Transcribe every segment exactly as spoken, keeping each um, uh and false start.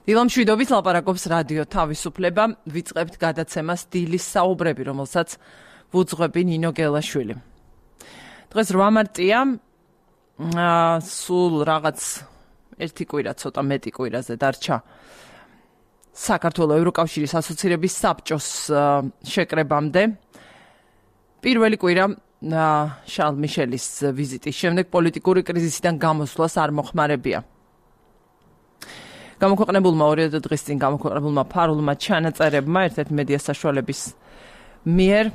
დილამშვიდობით ლაპარაკობს რადიო თავისუფლება, ვიწყებთ გადაცემას დილის საუბრები, რომელსაც ვუძღვები ნინო გელაშვილი. დღეს რვა მარტია, სულ რაღაც ერთი კვირა, ცოტა მეტი კვირაზე დარჩა საქართველოს ევროკავშირის ასოცირების საბჭოს შეკრებამდე. პირველი კვირა შარლ მიშელის ვიზიტის შემდეგ პოლიტიკური კრიზისიდან გამოსვლას არ მოხმარებია. გამოქვეყნებულმა ორი დღის წინ გამოქვეყნებულმა ფარულმა ჩანაწერებმა ერთ-ერთი მედია საშუალების მიერ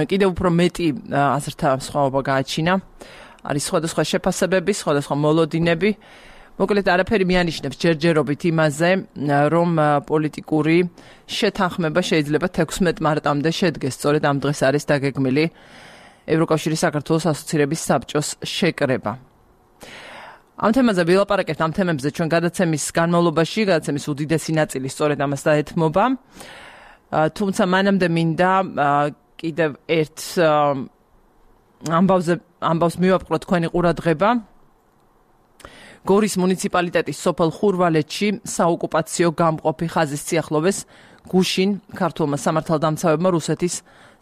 კიდევ უფრო მეტი აზრთა სხვაობა გააჩინა. არის სხვადასხვა შეფასებები, სხვადასხვა მოლოდინები. მოკლედ არაფერი მიანიშნებს ჯერჯერობით იმაზე, რომ პოლიტიკური შეთანხმება შეიძლება თექვსმეტ მარტამდე შედგეს. სწორედ ამ დღეს არის დაგეგმილი ევროკავშირის საქართველოს ასოცირების საბჭოს შეკრება. ამ თემაზე ვილაპარაკებთ, ამ თემებზე ჩვენ გადაცემის განმავლობაში, გადაცემის უდიდესი ნაწილი სწორედ ამას დაეთმობა. თუმცა მანამდე მინდა კიდევ ერთ ამბავზე ამბავს მივაპყროთ თქვენი ყურადღება. გორის მუნიციპალიტეტის სოფელ ხურვალეთში საოკუპაციო გამყოფი ხაზის სიახლოვეს გუშინ ქართულმა სამართალდამცავებმა რუსეთის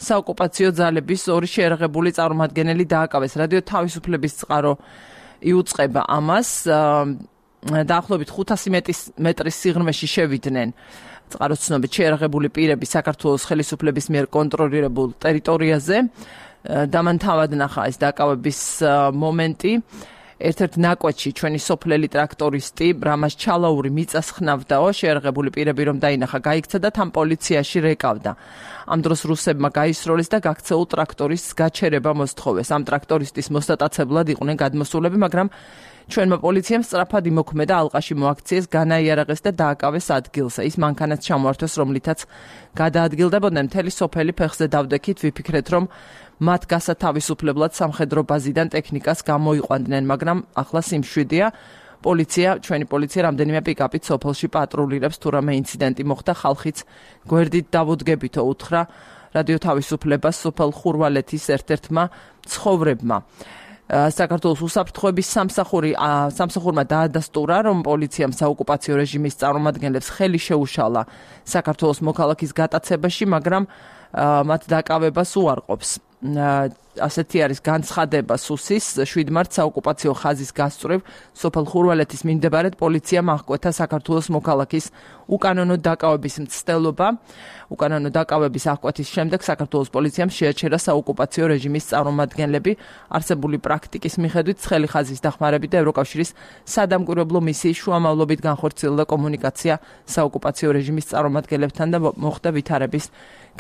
საოკუპაციო ძალების ორი შეერაღებული წარმომადგენელი დააკავეს. რადიო თავისუფლების წყარო იუწყება ამას. დაახლოებით ხუთასი მეტრის სიღრმეში შევიდნენ წყაროს ცნობით შეერაღებული პირები საქართველოს ხელისუფლების მიერ კონტროლირებულ ტერიტორიაზე. დამანთავად ნახა ეს დააკავების მომენტი. ერთ-ერთ ნაკვეთში ჩვენი სოფლელი ტრაქტორისტი რამაზ ჩალაური მიწას ხნავდაო, შეერაღებული პირები რომ დაინახა, გაიქცა და თან პოლიციაში რეკავდა. ამ დროს რუსებმა გაისროლეს და გაქცეულ ტრაქტორისტს გაჩერება მოსთხოვეს. ამ ტრაქტორისტის მოსტატაცებლად იყვნენ გადმოსულები, მაგრამ ჩვენმა პოლიციამ სწრაფად იმოქმედა, ალყაში მოაქციეს, განაიარაღეს და დააკავეს ადგილზე. ის მანქანაც ჩამოართვეს, რომლითაც გადაადგილდებოდნენ. მთელი სოფელი ფეხზე დავდექით, ვიფიქრეთ, რომ მათ გასათავისუფლებლად სამხედრო ბაზიდან ტექნიკას გამოიყვანდნენ, მაგრამ ახლა სიმშვიდეა. პოლიცია, ჩვენი პოლიცია რამდენიმე პიკაპით სოფელში პატრულირებს, თუ რამე ინციდენტი მოხდა, ხალხიც გვერდით დავუდგებითო, უთხრა რადიო თავისუფლებას სოფელ ხურვალეთის ერთ-ერთმა ცხოვრებმა. საქართველოს უსაფრთხოების სამსახური სამსახურმა დაადასტურა, რომ პოლიციამ საოკუპაციო რეჟიმის წარმომადგენლებს ხელი შეუშალა საქართველოს მოქალაქის გატაცებაში, მაგრამ მათ დაკავებას უარყოფს. ასეთი არის განცხადება სუსის შვიდ მარტს საოკუპაციო ხაზის გასწვრივ სოფელ ხურვალეთის მიმდებარედ პოლიციამ აღკვეთა საქართველოს მოქალაქის უკანონო დაკავების მცდელობა. უკანონო დაკავების აღკვეთის შემდეგ საქართველოს პოლიციამ შეაჩერა საოკუპაციო რეჟიმის წარმომადგენლები. არსებული პრაქტიკის მიხედვით ცხელი ხაზის დახმარებით და ევროკავშირის სადამკვირვებლო მისიის შუამავლობით განხორციელდა კომუნიკაცია საოკუპაციო რეჟიმის წარმომადგენლებთან და მოხდა ვითარების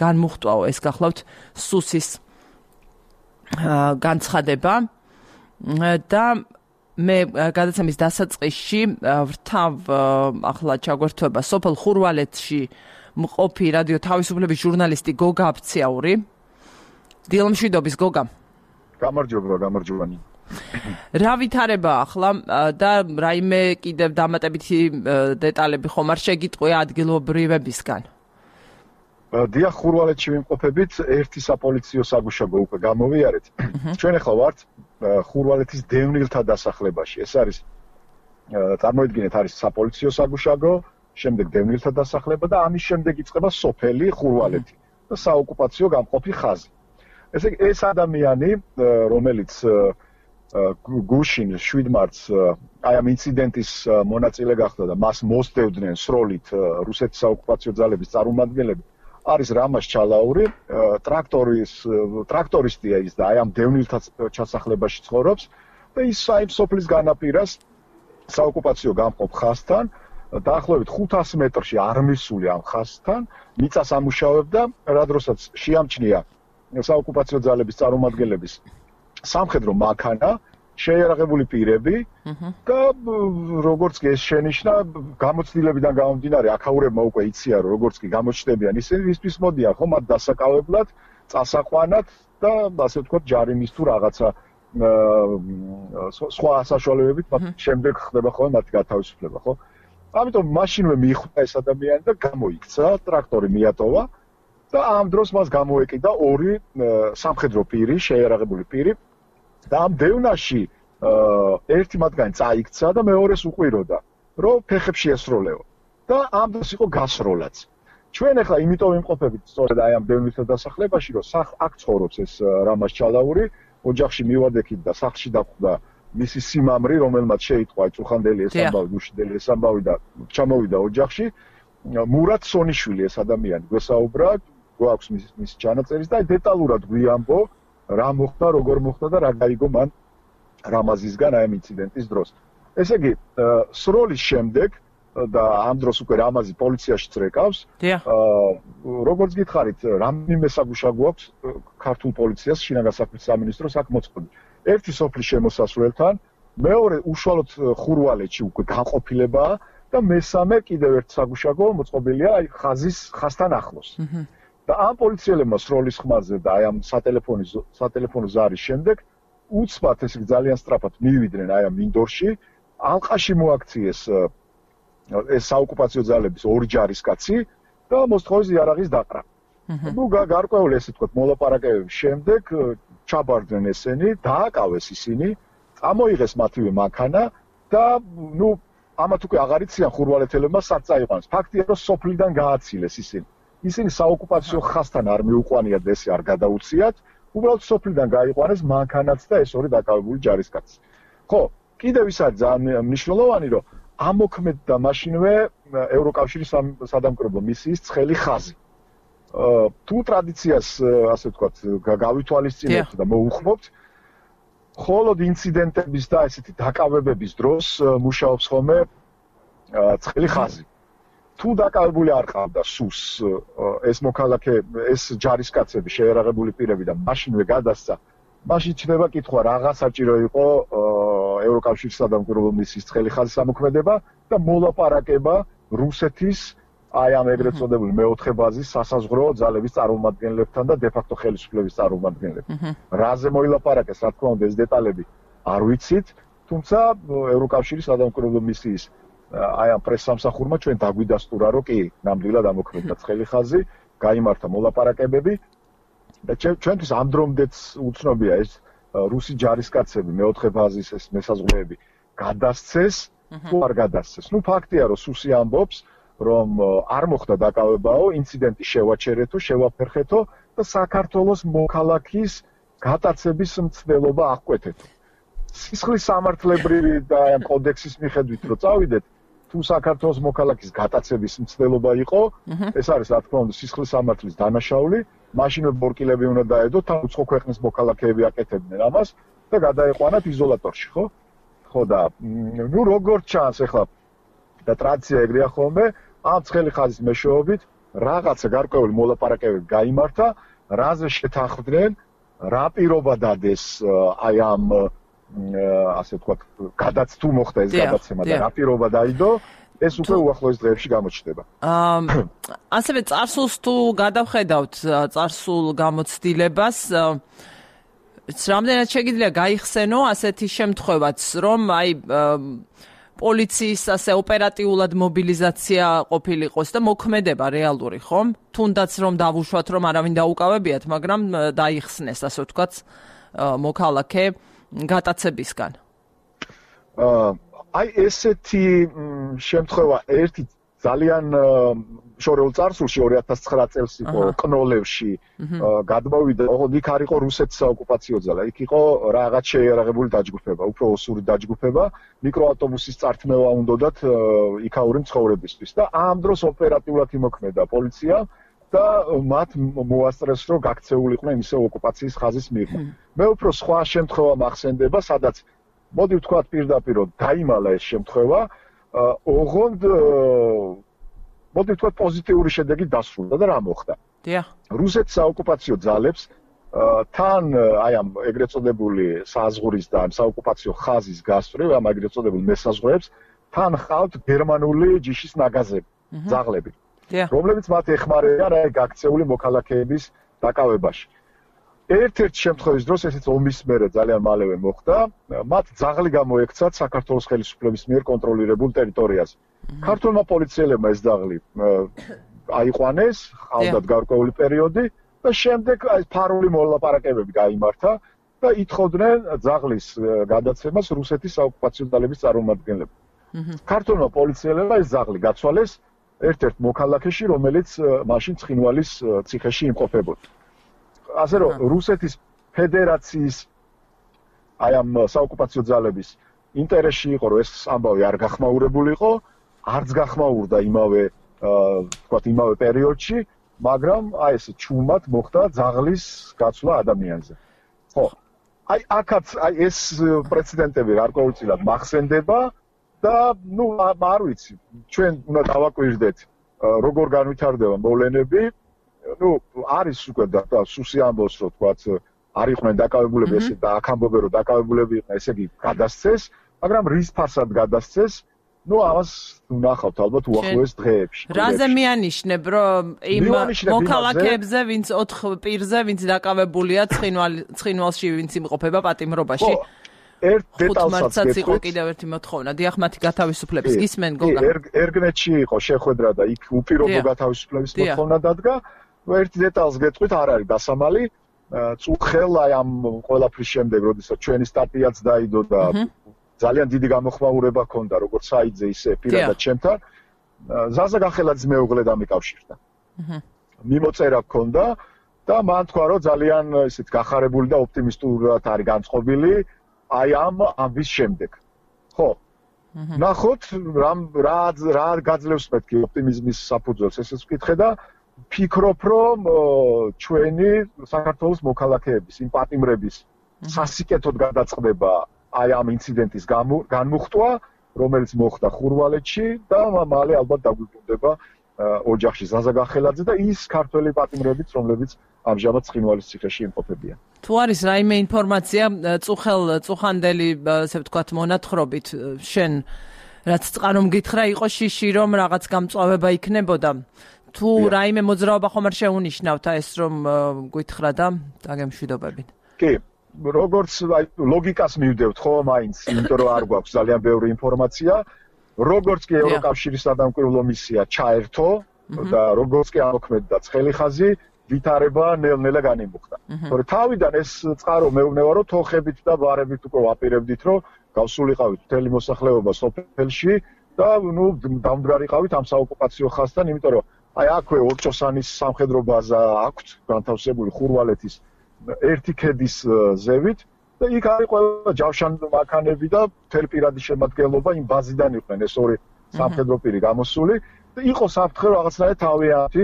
განმუხტვაო. ეს გახლავთ სუსის განცხადება და მე გადაცემის დასაწყისში ვრთავ ახლა ჩაგვერთვება სოფელ ხურვალეთში მყოფი რადიო თავისუფლების ჟურნალისტი გოგა აფციაური. დილამშვიდობის გოგა. გამარჯობა, გამარჯობანი. რა ვითარება ახლა და რაიმე კიდევ დამატებითი დეტალები ხომ არ შეგიტყვია ადგილობრივებისგან? დიახ, ხურვალეთში ვიმყოფებით, ერთი საპოლიციო საგუშაგო უკვე გამოვიარეთ. ჩვენ ახლა ვართ ხურვალეთის დევნილთა დასახლებაში. ეს არის წარმოიდგინეთ, არის საპოლიციო საგუშაგო, შემდეგ დევნილთა დასახლება და ამის შემდეგ იწყება სოფელი ხურვალეთი და საოკუპაციო გამყოფი ხაზი. ესე ეს ადამიანი, რომელიც გუშინ შვიდ მარტს აი ამ ინციდენტის მონაწილე გახდა და მას მოსდევდნენ სროლით რუსეთის საოკუპაციო ძალების წარმომადგენლები, არის რამაზ ჩალაური, ტრაქტორის ტრაქტორისტია ის და აი ამ დევნილთა ჩასახლებაში ცხოვრობს და ის აი სოფლის განაპირას საოკუპაციო გამყოფ ხაზთან დაახლოებით ხუთასი მეტრში არმისული ამ ხაზთან მიწას ამუშავებდა, რა დროსაც შეამჩნია საოკუპაციო ძალების წარმომადგენლების სამხედრო მანქანა, შეიარაღებული პირები და როგორც კი ეს შენიშნა, გამოცდილებიდან გამომდინარე, აქაურებმა უკვე იციან, როგორც კი გამოჩნდებიან ისინი, ვისთვის მოდიან ხომ მათ დასაკავებლად, წასაყვანად და ასე ვთქვათ, ჯარიმის თუ რაღაცა სხვა საშუალებებით მათ შემდეგ ხდება ხოლმე მათი გათავისუფლება, ხო? ამიტომ მაშინვე მიხვდა ეს ადამიანი და გამოიქცა, ტრაქტორი მიატოვა და ამ დროს მას გამოეკიდა ორი სამხედრო პირი, შეიარაღებული პირი და ამ დევნაში ერთი მათგანი წაიქცა და მეორეს უყვიროდა. რომ ფეხებში ესროლეო და ამ დროს იყო გასროლაც. ჩვენ ახლა იმიტომ ვიმყოფებით სწორედ აი ამ დევნილთა დასახლებაში, რომ აქ ცხოვრობს ეს რამაზ ჩალაური, ოჯახში მივადექით და სახლში დახვდა მისი სიმამრი, რომელმაც შეიტყვა წუხანდელი ეს ამბავი, დუშიდელი ეს ამბავი და ჩამოვიდა ოჯახში. მურატ სონიშვილი ეს ადამიანი გვესაუბრა, გვაქვს მის მის ჩანაწერის და დეტალურად გვიამბო რა მოხდა, როგორ მოხდა და რა გაიგო მან რამაზისგან აი ამ ინციდენტის დროს. ესე იგი, სროლის შემდეგ და ამ დროს უკვე რამაზი პოლიციაში წრეკავს. აა როგორც გითხარით, რამდენიმე საგუშა გვაქვს ქართულ პოლიციას, შინაგან საქმეთა სამინისტროს აქ მოწყობილი. ერთი სოფლის შემოსასვლელთან, მეორე უშუალოდ ხურვალეთში უკვე განყოფილებაა და მესამე კიდევ ერთ საგუშაგო მოწყობილია აი ხაზის ხაზთან ახლოს. და ამ პოლიციელებმა სროლის ხმაზე და აი ამ სატელეფონო სატელეფონო ზარის შემდეგ უცბად ესე ძალიან სწრაფად მივიდნენ აი ამ მინდორში, ალყაში მოაქციეს ეს საოკუპაციო ძალების ორი ჯარისკაცი და მოსთხოვეს იარაღის დაყრა. ნუ გარკვეული ესე თქვა მოლაპარაკებების შემდეგ ჩაბარდნენ ესენი, დააკავეს ისინი, წამოიღეს მათივე მანქანა და ნუ ამათ უკვე აღარ იციან ხურვალეთელებმა სად წაიყვანეს. ფაქტია რომ სოფლიდან გააცილეს ისინი. ისინი საოკუპაციო ხაზთან არ მიუყვანიათ და ესე არ გადაუციათ, უბრალოდ სოფლიდან გაიყვანეს მანქანაც და ეს ორი დაკავებული ჯარისკაცი. ხო, კიდევ ის არის ძალიან მნიშვნელოვანი, რომ ამოქმედდა მაშინვე ევროკავშირის სადამკვირვებლო მისიის ცხელი ხაზი. თუ ტრადიციას, ასე ვთქვათ, გავითვალისწინებთ და მოუხმობთ, მხოლოდ ინციდენტების და ესეთი დაკავებების დროს მუშაობს ხოლმე ცხელი ხაზი. თუ დაკავებული არ ყავდა სუს ეს მოქალაქე, ეს ჯარისკაცები, შეერაღებული პირები და მაშინვე გადასცა, მაშინ ჩნდება კითხვა, რაღა საჭირო იყო ევროკავშირის სადამკვირვებლო მისიის ცხელი ხაზის ამოქმედება და მოლაპარაკება რუსეთის აი ამ ეგრეთ წოდებული მეოთხე ბაზის სასაზღვრო ძალების წარმომადგენლებთან და დე-ფაქტო ხელისუფლების წარმომადგენლებთან. რაზე მოილაპარაკეს, რა თქმა უნდა, ეს დეტალები არ ვიცით, თუმცა ევროკავშირის სადამკვირვებლო მისიის აი ამ პრესსამსახურმა ჩვენ დაგვიდასტურა, რომ კი, ნამდვილად ამოქმედდა ცხელი ხაზი, გაიმართა მოლაპარაკებები და ჩვენთვის ამ დრომდეც უცნობია ეს რუსი ჯარისკაცები, მეოთხე ბაზის ეს მესაზღვრეები გადასცეს, თუ არ გადასცეს. ნუ ფაქტია, რომ სუსი ამბობს, რომ არ მოხდა დაკავებაო, ინციდენტი შევაჩერეთო, შევაფერხეთო და საქართველოს მოქალაქის გატაცების მცდელობა აღკვეთეთო. სისხლის სამართლებრივი და ამ კოდექსის მიხედვით რო წავიდეთ, თუ საქართველოს მოქალაქის გატაცების მცდელობა იყო, ეს არის რა თქმა უნდა სისხლის სამართლის დანაშაული, მაშინვე ბორკილები უნდა დაედო, თან უცხო ქვეყნის მოქალაქეები აკეთებდნენ ამას და გადაეყვანათ იზოლატორში, ხო? ხო და ნუ როგორც ჩანს ახლა და ტრადიცია ეგრეა ხოლმე, ამ ცხელი ხაზის მეშვეობით რაღაცა გარკვეული მოლაპარაკებები გაიმართა, რაზე შეთანხმდნენ, რა პირობა დადეს აი ამ ასე ვთქვათ, გადაც თუ მოხდა ეს გადაცემა და რა პირობა დაიდო, ეს უკვე უახლოეს დღეებში გამოჩნდება. აა ასევე წარსულს თუ გადავხედავთ წარსულ გამოცდილებას, რამდენად შეგიძლია გაიხსენო ასეთი შემთხვევაც, რომ აი პოლიციის ასე ოპერატიულად მობილიზაცია ყოფილიყოს და მოქმედება რეალური, ხომ? თუნდაც რომ დავუშვათ, რომ არავინ დაუკავებიათ, მაგრამ დაიხსნეს, ასე ვთქვათ, მოქალაქე გატაცებისგან. აა აი ესეთი შემთხვევა ერთი ძალიან შორეულ წარსულში ორი ათას ცხრა წელს იყო კნოლევში გადმოვიდა, ოღონდ იქ არ იყო რუსეთის საოკუპაციო ძალა, იქ იყო რაღაც შეიარაღებული დაჯგუფება, უფრო ოსური დაჯგუფება, მიკროავტობუსის წართმევა უნდათ იქაური მცხოვრებისთვის და ამ დროს ოპერატიულად იმოქმედა პოლიცია და მათ მოასწრეს, რომ გაქცეულიყვნენ ისე ოკუპაციის ხაზის მიღმა. მე უფრო სხვა შემთხვევა მახსენდება, სადაც მოდი ვთქვათ პირდაპირ, დაიმალა ეს შემთხვევა, ოღონდ მოდი ვთქვათ პოზიტიური შედეგი დასრულდა და რა მოხდა? დიახ. რუსეთის საოკუპაციო ძალებს თან აი ამ ეგრეთ წოდებული საზღვრის და საოკუპაციო ხაზის გასწვრივ, ამ ეგრეთ წოდებულ მესაზღვრეებს თან ხავთ გერმანული ჯიშის ნაგაზები, ძაღლები, რომლებიც მათ ეხმარებიან აი გაქცეული მოქალაქეების დაკავებაში. ერთ-ერთ შემთხვევის დროს ესეც ომის მერე ძალიან მალევე მოხდა, მათ ძაღლი გამოექცათ საქართველოს ხელისუფლების მიერ კონტროლირებულ ტერიტორიაზე. ქართულმა პოლიციელებმა ეს ძაღლი აიყვანეს, ხავდათ გარკვეული პერიოდი და შემდეგ აი ფარული მოლაპარაკებები გაიმართა და ითხოვდნენ ძაღლის გადაცემას რუსეთის საოკუპაციო ძალების წარმომადგენლები. ქართულმა პოლიციელებმა ეს ძაღლი გაცვალეს ერთ-ერთ მოქალაქეში, რომელიც მაშინ ცხინვალის ციხეში იმყოფებოდა. ასე რომ რუსეთის ფედერაციის აი ამ საოკუპაციო ძალების ინტერესში იყო, რომ ეს ამბავი არ გახმაურებულიყო, არც გახმაურდა იმავე თქვათ იმავე პერიოდში, მაგრამ აი ეს ჩუმად მოხდა ძაღლის გაცვლა ადამიანზე. ხო, აი აქაც აი ეს პრეცედენტები გარკვეულწილად მახსენდება და ნუ არ ვიცი, ჩვენ უნდა დავაკვირდეთ, როგორ განვითარდება მოვლენები. ნუ არის უკვე და სუსი ამბობს, რომ თქვათ არ იყვნენ დაკავებულები ესე და აქ ამბობენ, რომ დაკავებულები იყვნენ, ესე იგი გადასცეს, მაგრამ რის ფასად გადასცეს? ნუ ამას ვნახავთ ალბათ უახლოეს დღეებში. რაზე მიანიშნებ, რომ იმ მოქალაქეებზე, ვინც ოთხ პირზე, ვინც დაკავებულია ცხინვალში, ვინც იმყოფება პატიმრობაში? ერთ დეტალსაც იყო კიდევ ერთი მოთხოვნა. დიახ, მათი გათავისუფლების გისმენ გოგა. ერგნეთში იყო შეხვედრა და იქ უპირობო გათავისუფლების მოთხოვნა დადგა. ერთი დეტალს გეტყვით, არ არის დასამალი. წუხელ აი ამ ყველაფრის შემდეგ, როდესაც ჩვენი სტატიაც დაიდო და ძალიან დიდი გამოხმაურება ჰქონდა როგორც საიძე ისე პირადად ჩემთან. ზაზა გახელაძის მეუღლე დამიკავშირდა. მიმოწერა ჰქონდა და მან თქვა, რომ ძალიან ისეთ გახარებული და ოპტიმისტურად არის განწყობილი აი ამ ამბის შემდეგ. ხო. ნახოთ რამ რა რა გაძლევს მეთქი ოპტიმიზმის საფუძველს, ესეც ვკითხე და ფიქრობ, რომ ჩვენი საქართველოს მოქალაქეების, იმ პატიმრების სასიკეთოდ გადაწყდება აი ამ ინციდენტის განმუხტვა, რომელიც მოხდა ხურვალეთში და მალე ალბათ დაგვიბრუნდება ოჯახში ზაზა გახელაძე და ის ქართველი პატიმრებიც, რომლებიც ამჟამად ცხინვალის ციხეში იმყოფებიან. თუ არის რაიმე ინფორმაცია წუხელ წუხანდელი, ასე ვთქვათ, მონათხრობით, შენ რაც წყარო მგითხრა, იყო შიში, რომ რაღაც გამწვავება იქნებოდა. თუ რაიმე მოძრაობა ხომ არ შეუნიშნავთ ეს რომ გითხრა და დაგემშვიდობებით. კი, როგორც აი ლოგიკას მივდევთ ხო მაინც, იმიტომ რომ არ გვაქვს ძალიან ბევრი ინფორმაცია, როგორც კი ევროკავშირის სადამკვირვებლო მისია ჩაერთო და როგორც კი ამოქმედდა ცხელიხაზი, ვითარება ნელ-ნელა განიმუხტა. თორე თავიდან ეს წყარო მეუბნება რომ თოხებით და ბარებით უკვე ვაპირებდით რომ გავსულიყავით მთელი მოსახლეობა სოფელში და ნუ დამდგარიყავით ამ საოკუპაციო ხაზთან, იმიტომ რომ აი აქვე ორჭოსანის სამხედრო ბაზა აქვთ განთავსებული ხურვალეთის ერთი ქედის ზევით და იქ არის ყველა ჯავშან მანქანები და მთელი პირადი შემადგენლობა იმ ბაზიდან იყვნენ ეს ორი სამხედრო პირი გამოსული და იყო საფრთხე რაღაცნაირად თავიანთი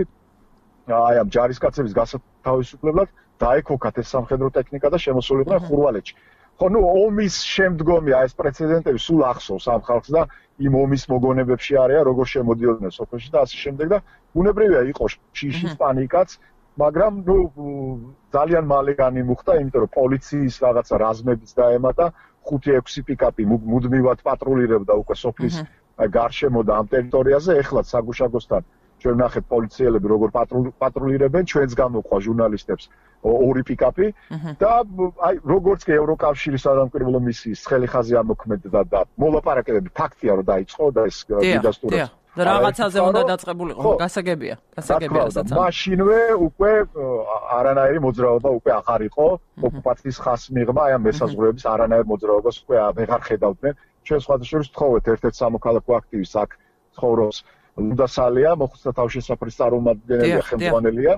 აი ამ ჯარისკაცების გასათავისუფლებლად დაეკოქათ ეს სამხედრო ტექნიკა და შემოსულიყვნენ ხურვალეთში. ხო, ნუ ომის შემდგომი აი ეს პრეცედენტები სულ ახსოვს ამ ხალხს და იმ ომის მოგონებებში არიან როგორ შემოდიოდნენ სოფელში და ასე შემდეგ და უნებრივია იყო შიშის პანიკაც, მაგრამ ნუ ძალიან მალე განიმუხტა, იმიტომ რომ პოლიციის რაღაცა რაზმებიც დაემატა, ხუთი ექვსი პიკაპი მუდმივად პატრულირებდა უკვე სოფლის გარშემო და ამ ტერიტორიაზე, ეხლა საგუშაგოსთან ჩვენ ნახეთ პოლიციელები როგორ პატრულირებენ, ჩვენს გამოყვა ჟურნალისტებს ორი პიკაპი და აი როგორც კი ევროკავშირის სადამკვირვებლო მისიის ცხელიხაზი ამოქმედდა და მოლაპარაკებები ფაქტია რომ დაიწყო და ეს დიდასტურად და რაღაცაზე უნდა დაწყებულიყო, გასაგებია, გასაგებია რასაც. მაშინვე უკვე არანაირი მოძრაობა უკვე აღარ იყო, ოკუპაციის ხაზს მიღმა, აი ამ მესაზღვრეების არანაირ მოძრაობას უკვე აღარ ხედავდნენ. ჩვენ სხვადასხვა ვთხოვეთ ერთ-ერთ სამოქალაქო აქტივისტს აქ ცხოვრობს ლუდასალია, მოხუცთა თავშესაფრის წარმომადგენელი ხელმძღვანელია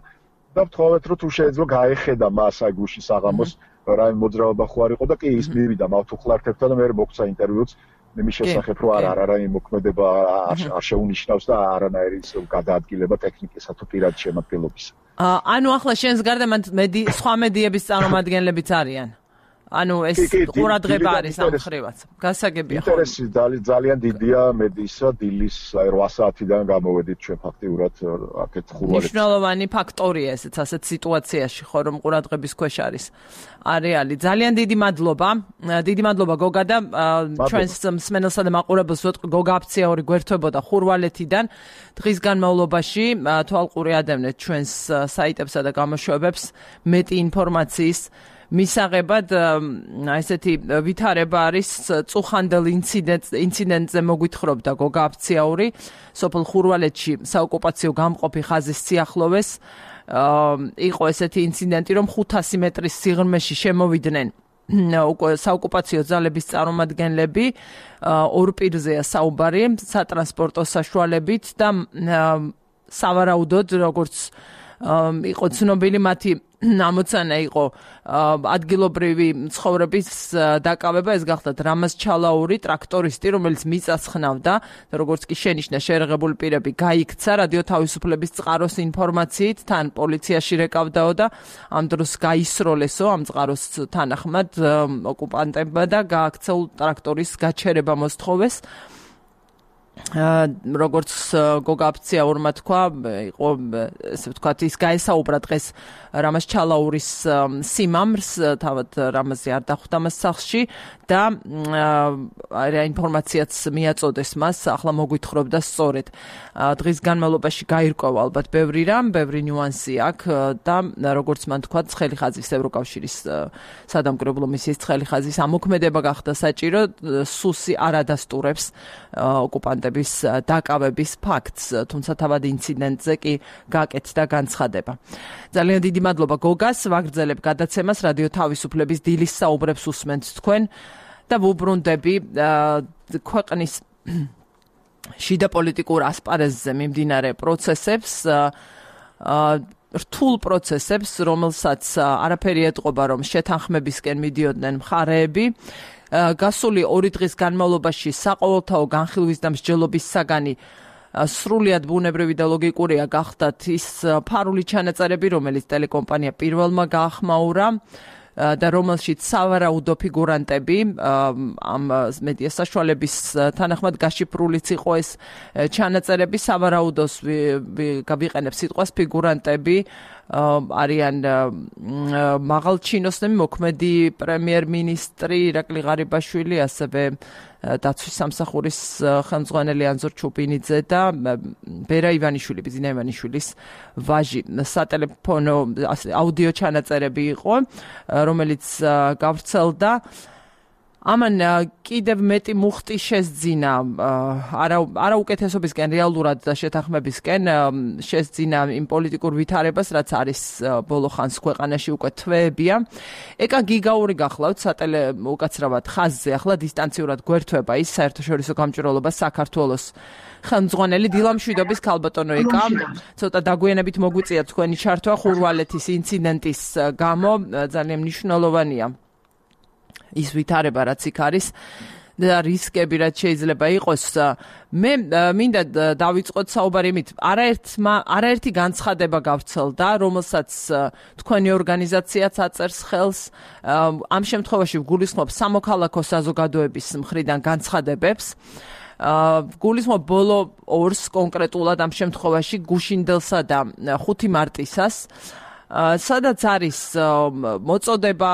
და ვთხოვეთ რომ თუ შეიძლება გაეხედა მას აი გუშინ საღამოს რაიმე მოძრაობა ხო არ იყო და კი ის მივიდა მავთუხლართებთან და მე მოგცა ინტერვიუც იმის შესახებ რომ არ არა რაიმე მოქმედება არ შეუნიშნავს და არანაირი გადაადგილება ტექნიკისა თუ პირადი შემადგენლობისა. ანუ ახლა შენს გარდა მედი სხვა მედიების წარმომადგენლებიც არიან. ანუ ეს ყურადღება არის ამ ხრივაც. გასაგებია ხო? ინტერესი ძალიან დიდია მედიისა, დილის რვა საათიდან გამოვედით ჩვენ ფაქტიურად აქეთ ხურვალეთში. მნიშვნელოვანი ფაქტორია ესეც ასეთ სიტუაციაში ხო რომ ყურადღების ქვეშ არის არეალი. ძალიან დიდი მადლობა. დიდი მადლობა გოგა და ჩვენს მსმენელსა და მაყურებელს ვეტყვი გოგა აფციაური გვერდებოდა ხურვალეთიდან. დღის განმავლობაში თვალყური ადევნეთ ჩვენს საიტებსა და გამოშვებებს მეტი ინფორმაციის მისაღებად ესეთი ვითარება არის წუხანდელ ინციდენტზე მოგვითხრობდა გოგა აფციაური სოფელ ხურვალეთში საოკუპაციო გამყოფი ხაზის სიახლოვეს იყო ესეთი ინციდენტი რომ ხუთასი მეტრის სიღრმეში შემოვიდნენ საოკუპაციო ძალების წარმომადგენლები ორ პირზეა საუბარი სატრანსპორტო საშუალებით და სავარაუდოდ როგორც იყო ცნობილი მათი ამოცანა იყო ადგილობრივი ცხოვრების დაკავება, ეს გახდათ რამაზ ჩალაური ტრაქტორისტი, რომელიც მიწას ხნავდა და როგორც კი შენიშნა შეერაღებული პირები გაიქცა რადიო თავისუფლების წყაროს ინფორმაციით, თან პოლიციაში რეკავდაო და ამ დროს გაისროლესო ამ წყაროს თანახმად ოკუპანტებმა და გააქცეულ ტრაქტორის გაჩერება მოსთხოვეს. როგორც გოგა აფციაურმა თქვა, იყო ესე ვთქვათ, ის გაესაუბრა დღეს რამაზ ჩალაურის სიმამრს, თავად რამაზი არ დახვდა მას სახლში და რა ინფორმაციაც მიაწოდეს მას, ახლა მოგვითხრობდა სწორედ. დღის განმავლობაში გაირკვევა ალბათ ბევრი რამ, ბევრი ნიუანსი აქვს და როგორც მან თქვა, ცხელი ხაზის ევროკავშირის სადამკვირვებლო მისიის ცხელი ხაზის ამოქმედება გახდა საჭირო, სუსი არ ადასტურებს ოკუპანტების დაკავების ფაქტს, თუმცა თავად ინციდენტზე კი გაკეთდა განცხადება. ძალიან დიდი მადლობა გოგას, ვაგრძელებ გადაცემას რადიო თავისუფლების დილის საუბრებს უსმენთ თქვენ და ვუბრუნდები ქვეყნის შიდა პოლიტიკურ ასპარეზზე მიმდინარე პროცესებს, რთულ პროცესებს, რომელსაც არაფერი ეტყობა, რომ შეთანხმებისკენ მიდიოდნენ მხარეები. გასული ორი დღის განმავლობაში საყოველთაო განხილვის და მსჯელობის საგანი სრულიად ბუნებრივი და ლოგიკურია გახდათ ის ფარული ჩანაწერები, რომელიც ტელეკომპანია პირველმა გაახმაურა და რომელშიც სავარაუდო ფიგურანტები ამ მედია საშუალების თანახმად გაშიფრულიც იყო ეს ჩანაწერები, სავარაუდოს გავიყენებ სიტყვას ფიგურანტები არიან მაღალჩინოსნები, მოქმედი პრემიერ-მინისტრი ირაკლი ღარიბაშვილი, ასევე დაცვის სამსახურის ხელმძღვანელი ანზორ ჩუპინიძე და ბერა ივანიშვილი, ბიზინა ივანიშვილის ვაჟი. სატელეფონო აუდიო ჩანაწერები იყო, რომელიც გავრცელდა. ამან კიდევ მეტი მუხტი შესძინა არა უკეთესობისკენ, რეალურად და შეთანხმებისკენ შესძინა იმ პოლიტიკურ ვითარებას, რაც არის ბოლო ხანს ქვეყანაში უკვე თვეებია. ეკა გიგაური გახლავთ სატელე უკაცრავად ხაზზე, ახლა დისტანციურად გვერდება ის საერთაშორისო გამჭვირვალობა საქართველოს ხელმძღვანელი დილამშვიდობის ქალბატონო ეკა. ცოტა დაგვიანებით მოგვიწია თქვენი ჩართვა ხურვალეთის ინციდენტის გამო, ძალიან მნიშვნელოვანია ის ვითარება, რაც იქ არის და რისკები, რაც შეიძლება იყოს. მე მინდა დავიწყოთ საუბარი იმით, არაერთმა არაერთი განცხადება გავრცელდა, რომელსაც თქვენი ორგანიზაციაც აწერს ხელს. ამ შემთხვევაში ვგულისხმობ სამოქალაქო საზოგადოების მხრიდან განცხადებებს. ვგულისხმობ ბოლო ორს კონკრეტულად ამ შემთხვევაში გუშინდელსა და ხუთი მარტისას. სადაც არის მოწოდება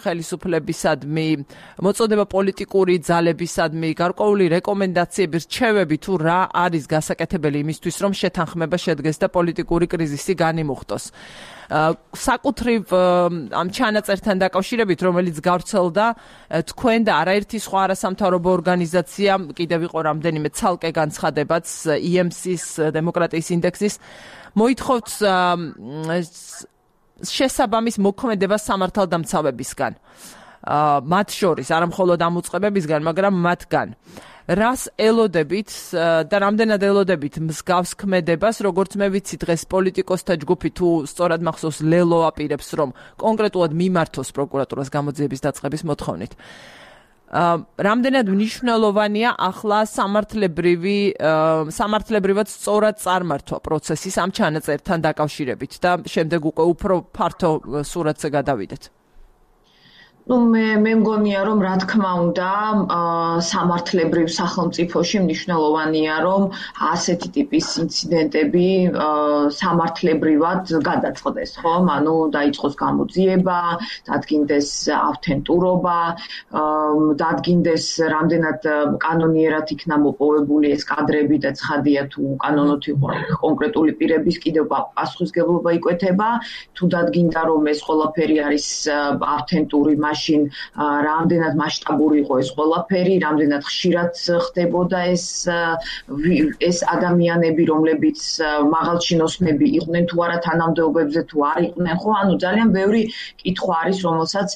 ხელისუფლებისადმი, მოწოდება პოლიტიკური ძალებისადმი, გარკვეული რეკომენდაციები, რჩევები თუ რა არის გასაკეთებელი იმისთვის, რომ შეთანხმება შედგეს და პოლიტიკური კრიზისი განიმუხტოს. საკუთრივ ამ ჩანაწერთან დაკავშირებით, რომელიც გავრცელდა, თქვენ და არაერთი სხვა არასამთავრობო ორგანიზაცია, კიდევ იყო რამდენიმე ცალკე განცხადებაც ი ემ სი-ის დემოკრატიის ინდექსის, მოითხოვთ შესაბამის მოქმედება სამართალდამცავებისგან. მათ შორის, არა მხოლოდ ამ უწყებებისგან, მაგრამ მათგან. რას ელოდებით და რამდენად ელოდებით მსგავს ქმედებას, როგორც მე ვიცი დღეს პოლიტიკოსთა ჯგუფი თუ სწორად მახსოვს ლელო აპირებს, რომ კონკრეტულად მიმართოს პროკურატურას გამოძიების დაწყების მოთხოვნით. რამდენად მნიშვნელოვანია ახლა სამართლებრივი სამართლებრივად სწორად წარმართვა პროცესის ამ ჩანაწერთან დაკავშირებით და შემდეგ უკვე უფრო ფართო სურათზე გადავიდეთ. Ну, მე მე მგონია, რომ რა თქმა უნდა, სამართლებრივ სახელმწიფოში მნიშვნელოვანია, რომ ასეთი ტიპის ინციდენტები სამართლებრივად გადაწყდეს, ხო? ანუ დაიწყოს გამოძიება, დადგინდეს ავთენტურობა, დადგინდეს რამდენად კანონიერად იქნა მოპოვებული ეს კადრები და ცხადია თუ კანონოთ იყო კონკრეტული პირების კიდევ პასუხისგებლობა იკვეთება, თუ დადგინდა რომ ეს ყველაფერი არის ავთენტური, მაშინ რამდენად მასშტაბური იყო ეს ყველაფერი, რამდენად ხშირად ხდებოდა ეს ეს ადამიანები, რომლებიც მაღალჩინოსნები იყვნენ თუ არა თანამდებობებზე თუ არ იყვნენ, ხო, ანუ ძალიან ბევრი კითხვა არის, რომელსაც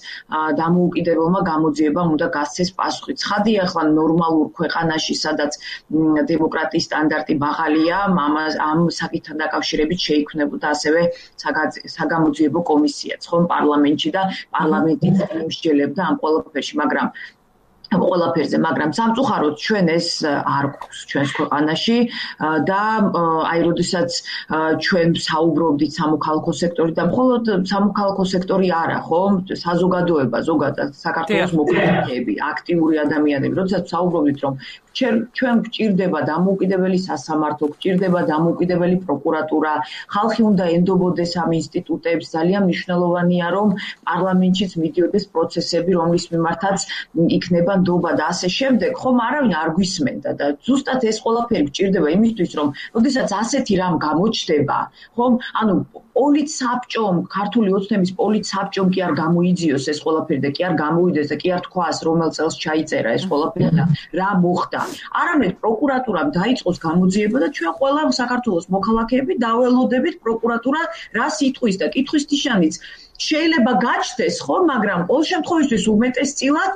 დამოუკიდებელმა გამოძიებამ უნდა გასცეს პასუხი. ცხადია, ახლა ნორმალურ ქვეყანაში, სადაც დემოკრატიის სტანდარტი მაღალია, ამ საკითხთან დაკავშირებით შეიქმნებოდა ასევე საგამოძიებო კომისიაც, ხო, პარლამენტში და პარლამენტიც იმსჯელებდა ამ ყველაფერში, მაგრამ ყველაფერზე, მაგრამ სამწუხაროდ ჩვენ ეს არ გვაქვს ჩვენს ქვეყანაში და აი როდესაც ჩვენ საუბრობდით სამოქალაქო სექტორით და მხოლოდ სამოქალაქო სექტორი არა, ხო? საზოგადოება, ზოგადად საქართველოს მოქალაქეები, აქტიური ადამიანები, როდესაც საუბრობდით, რომ ჩვენ გვჭირდება დამოუკიდებელი სასამართლო, გვჭირდება დამოუკიდებელი პროკურატურა, ხალხი უნდა ენდობოდეს ამ ინსტიტუტებს, ძალიან მნიშვნელოვანია, რომ პარლამენტშიც მიდიოდეს პროცესები, რომლის მიმართაც იქნება ნდობა და ასე შემდეგ, ხომ არავინ არ გვისმენდა და ზუსტად ეს ყველაფერი გვჭირდება იმისთვის, რომ როდესაც ასეთი რამ გამოჩნდება, ხომ, ანუ პოლიცსაბჭომ, ქართული ოცნების პოლიცსაბჭომ კი არ გამოიძიოს ეს ყველაფერი და კი არ გამოვიდეს და კი არ თქვას, რომელ წელს ჩაიწერა ეს ყველაფერი და რა მოხდა. არამედ პროკურატურამ დაიწყოს გამოძიება და ჩვენ ყველა საქართველოს მოქალაქეები დაველოდებით პროკურატურა რას იტყვის და კითხვის ნიშანიც შეიძლება გაჩნდეს, ხო, მაგრამ ყოველ შემთხვევაში უმეტესწილად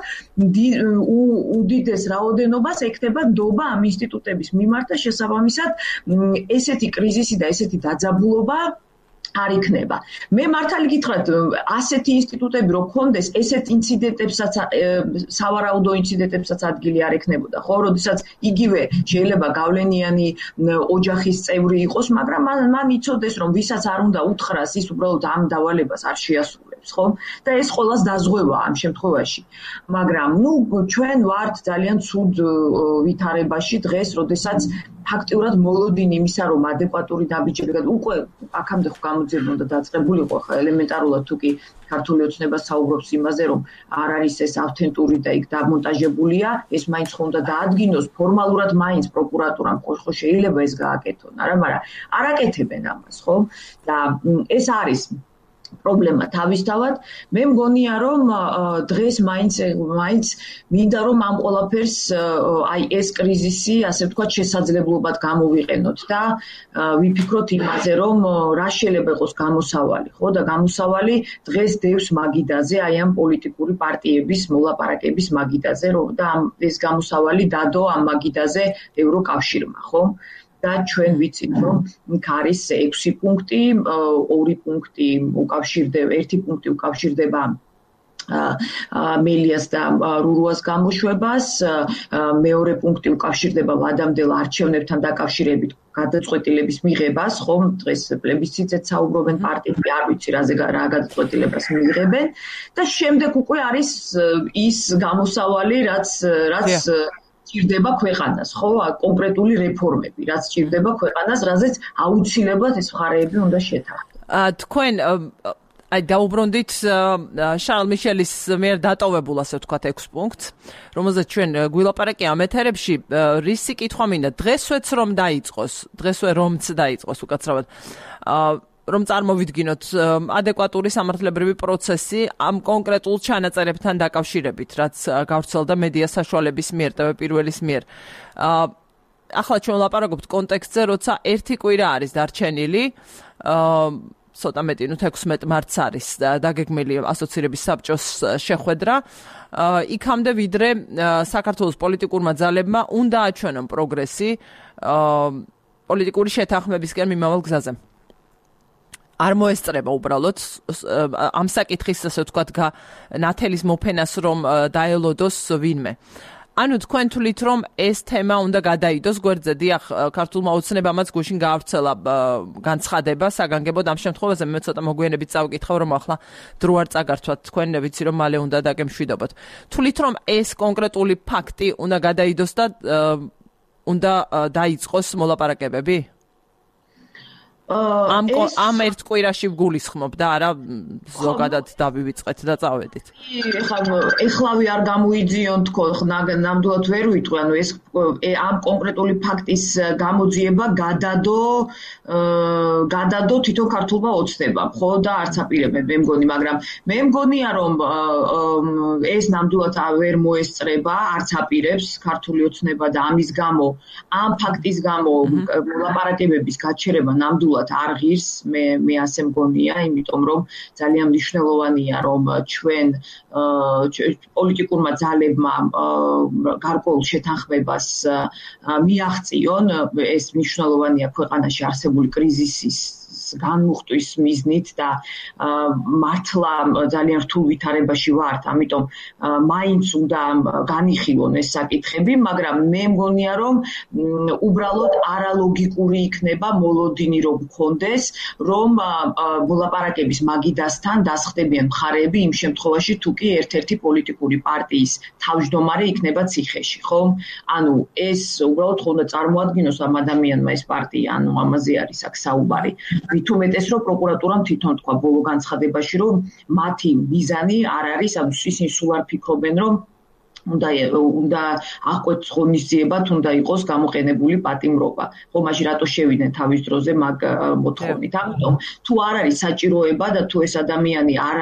უდიდეს რაოდენობას ექნება ნდობა ამ ინსტიტუტების მიმართ და შესაბამისად ესეთი კრიზისი და ესეთი დაძაბულობა არ იქნება. მე მართალი გითხრათ, ასეთი ინსტიტუტები რო გქონდეს, ესეთ ინციდენტებსაც, სავარაუდო ინციდენტებსაც ადგილი არ ექნებოდა, ხო, როდესაც იგივე შეიძლება გავლენიანი ოჯახის წევრი იყოს, მაგრამ მან იცოდეს, რომ ვისაც არ უნდა უთხრას, ის უბრალოდ ამ დავალებას არ შეასრულებს, ხო? და ეს ყველას დაზღვევა ამ შემთხვევაში. მაგრამ, ნუ, ჩვენ ვართ ძალიან ცუდ ვითარებაში დღეს, როდესაც ფაქტიურად მოლოდინი იმისა, რომ ადეკვატური დაბიჯები უკვე აქამდე ხო გამოძიება უნდა დაწყებულიყო, ხა ელემენტარულად თუ კი ქართული ოცნება საუბრობს იმაზე, რომ არ არის ეს ავთენტური და იქ დამონტაჟებულია, ეს მაინც ხო უნდა დაადგინოს ფორმალურად მაინც პროკურატურამ, ხო შეიძლება ეს გააკეთონ, არა, მაგრამ არ აკეთებენ ამას, ხო? და ეს არის პრობლემა თავისთავად. მე მგონია, რომ დღეს მაინც მაინც მინდა რომ ამ ყველაფერს აი ეს კრიზისი, ასე ვთქვათ, შესაძლებლობად გამოვიყენოთ და ვიფიქროთ იმაზე, რომ რა შეიძლება იყოს გამოსავალი, ხო? და გამოსავალი დღეს დევს მაგიდაზე, აი ამ პოლიტიკური პარტიების მოლაპარაკების მაგიდაზე, რომ და ეს გამოსავალი დადო ამ მაგიდაზე ევროკავშირმა, ხო? და ჩვენ ვიცით, რომ იქ არის ექვსი პუნქტი, ორი პუნქტი უკავშირდება, ერთი პუნქტი უკავშირდება მელიას და რურუას გამოშვებას, მეორე პუნქტი უკავშირდება ვადამდელ არჩევნებთან დაკავშირებით გადაწყვეტილების მიღებას, ხომ, დღეს პლებისციტზე საუბრობენ პარტიები, არ ვიცი რაზე რა გადაწყვეტილებას მიიღებენ და შემდეგ უკვე არის ის გამოსავალი, რაც რაც ჭირდება ქვეყანას, ხო, კონკრეტული რეფორმები, რაც ჭირდება ქვეყანას, რაზეც აუცილებლად ეს მხარეები უნდა შეთანხმდეთ. თქვენ აი დაუბრუნდით შარლ მიშელის მიერ დატოვებულ, ასე ვთქვათ, ექვს პუნქტს, რომელზეც ჩვენ გვილაპარაკია ამ ეთერებში, რისი კითხვა მინდა, დღესვეც რომ დაიწყოს, დღესვე რომც დაიწყოს უკაცრავად, რომ წარმოვიდგინოთ ადეკვატური სამართლებრივი პროცესი ამ კონკრეტულ ჩანაწერებთან დაკავშირებით, რაც გავრცელდა მედია საშუალების მიერ, ტევ პირველის მიერ. ახლა ჩვენ ვლაპარაკობთ კონტექსტზე, როცა ერთი კვირა არის დარჩენილი, ცოტა მეტი, ნუ თექვსმეტ მარტს არის დაგეგმილი ასოცირების საბჭოს შეხვედრა. იქამდე ვიდრე საქართველოს პოლიტიკურმა ძალებმა უნდა აჩვენონ პროგრესი პოლიტიკური შეთანხმებისკენ მიმავალ გზაზე. არ მოესწრება უბრალოდ ამ საკითხის, ასე ვთქვათ, ნათელის მოფენას, რომ დაელოდოს ვინმე. ანუ თქვენ თვლით, რომ ეს თემა უნდა გადაიდოს გვერდზე, დიახ, ქართულმა ოცნებამაც გუშინ გაავრცელა განცხადება საგანგებოდ ამ შემთხვევაზე, მე ცოტა მოგვიანებით წავკითხავ, რომ ახლა დრო არ წაგართვათ, თქვენ ვიცი, რომ მალე უნდა დაგემშვიდობოთ. თვლით, რომ ეს კონკრეტული ფაქტი უნდა გადაიდოს და უნდა დაიწყოს მოლაპარაკებები? ამ ამ ერთ კვირაში გულისხმობ და არა ზოგადად დავივიწყეთ და წავედით. ეხლა ეხლავე არ გამოიძიონ თქო, ნამდვილად ვერ ვიტყვი, ანუ ეს ამ კონკრეტული ფაქტის გამოძიება გადადო გადადო თვითონ ქართულმა ოცნებამ, ხო და არც აპირებენ მე მგონი, მაგრამ მე მგონია რომ ეს ნამდვილად ვერ მოესწრება, არც აპირებს ქართული ოცნება და ამის გამო, ამ ფაქტის გამო მოლაპარაკებების გაჩერება ნამდვილად არ ღირს, მე მე ასე მგონია, იმიტომ რომ ძალიან მნიშვნელოვანია რომ ჩვენ პოლიტიკურმა ძალებმა გარკვეულ შეთანხმებას მიაღწიონ, ეს მნიშვნელოვანია ქვეყანაში არსებული კრიზისის განმუხტვის მიზნით და მართლა ძალიან რთულ ვითარებაში ვართ, ამიტომ მაინც უნდა განიხილონ ეს საკითხები, მაგრამ მე მგონია რომ უბრალოდ არალოგიკური იქნება მოლოდინი რომ გქონდეს, რომ მოლაპარაკების მაგიდასთან დასხდებიან მხარეები იმ შემთხვევაში თუ კი ერთ-ერთი პოლიტიკური პარტიის თავმჯდომარე იქნება ციხეში, ხო? ანუ ეს უბრალოდ ხომ უნდა წარმოადგინოს ამ ადამიანმა ეს პარტია, ანუ ამაზე არის აქ საუბარი. მით უმეტეს რომ პროკურატურამ თვითონ თქვა ბოლო განცხადებაში რომ მათი მიზანი არ არის, ანუ ისინი სულ არ ფიქრობენ რომ უნდა უნდა აღკვეთს ღონისძიებათ, უნდა იყოს გამოყენებული პატიმრობა. ხო, მაშინ რატო შევიდნენ თავის დროზე მაგ მოთხოვნით? ამიტომ თუ არ არის საჭიროება და თუ ეს ადამიანი არ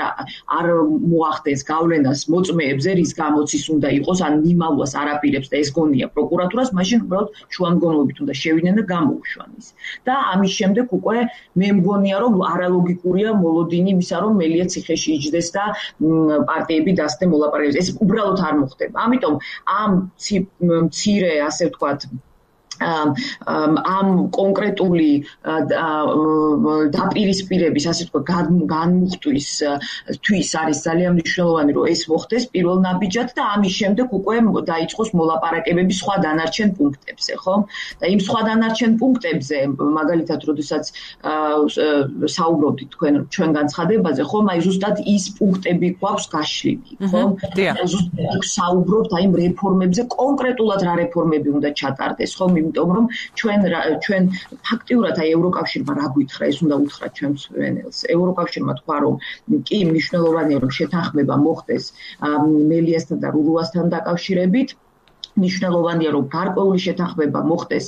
არ მოახდენს გავლენას მოწმეებზე, რის გამოც ის უნდა იყოს, ან მიმალვას არ აპირებს და ეს გონია პროკურატურას, მაშინ უბრალოდ შუამდგომლობით უნდა შევიდნენ და გამოუშვან ის. და ამის შემდეგ უკვე მე მგონია რომ არალოგიკურია მოლოდინი იმისა, რომ მელია ციხეში იჯდეს და პარტიები დასცდნენ მოლაპარაკებებს. ეს უბრალოდ არ მოხდება. ამიტომ ამ მცირე, ასე ვთქვათ, ამ კონკრეტული დაპირისპირების, ასე ვთქვათ, განმუხტვის თვის არის ძალიან მნიშვნელოვანი, რომ ეს მოხდეს პირველ ნაბიჯად და ამის შემდეგ უკვე დაიწყოს მოლაპარაკებები სხვა დანარჩენ პუნქტებზე, ხო? და იმ სხვა დანარჩენ პუნქტებზე, მაგალითად, როდესაც საუბრობდით თქვენ ჩვენ განცხადებაზე, ხო, აი ზუსტად ის პუნქტები გვაქვს გაშლილი, ხო? ზუსტად საუბრობთ აი იმ რეფორმებზე, კონკრეტულად რა რეფორმები უნდა ჩატარდეს, ხო? იმიტომ რომ ჩვენ ჩვენ ფაქტიურად აი ევროკავშირმა რა გითხრა, ეს უნდა უთხრათ ჩვენს ვენელს. ევროკავშირმა თქვა რომ კი მნიშვნელოვანია რომ შეთანხმება მოხდეს მელიასთან და რურულასთან დაკავშირებით. მნიშვნელოვანია რომ გარკვეული შეთანხმება მოხდეს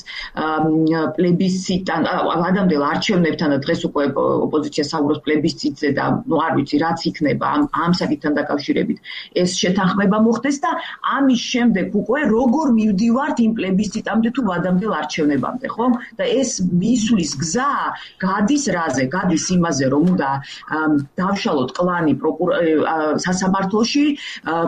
პლებისციტთან, ადამიანელ არჩევნებთან და დღეს უკვე ოპოზიცია საუბრობს პლებისციტზე და ნუ არ ვიცი რაც იქნება ამ ამ საკითხთან დაკავშირებით ეს შეთანხმება მოხდეს და ამის შემდეგ უკვე როგორ მივდივართ იმ პლებისციტამდე თუ ადამიანელ არჩევნებამდე, ხო? და ეს მისვლის გზა გადის რაზე? გადის იმაზე რომ უნდა დავშალოთ კლანი სასამართლოში,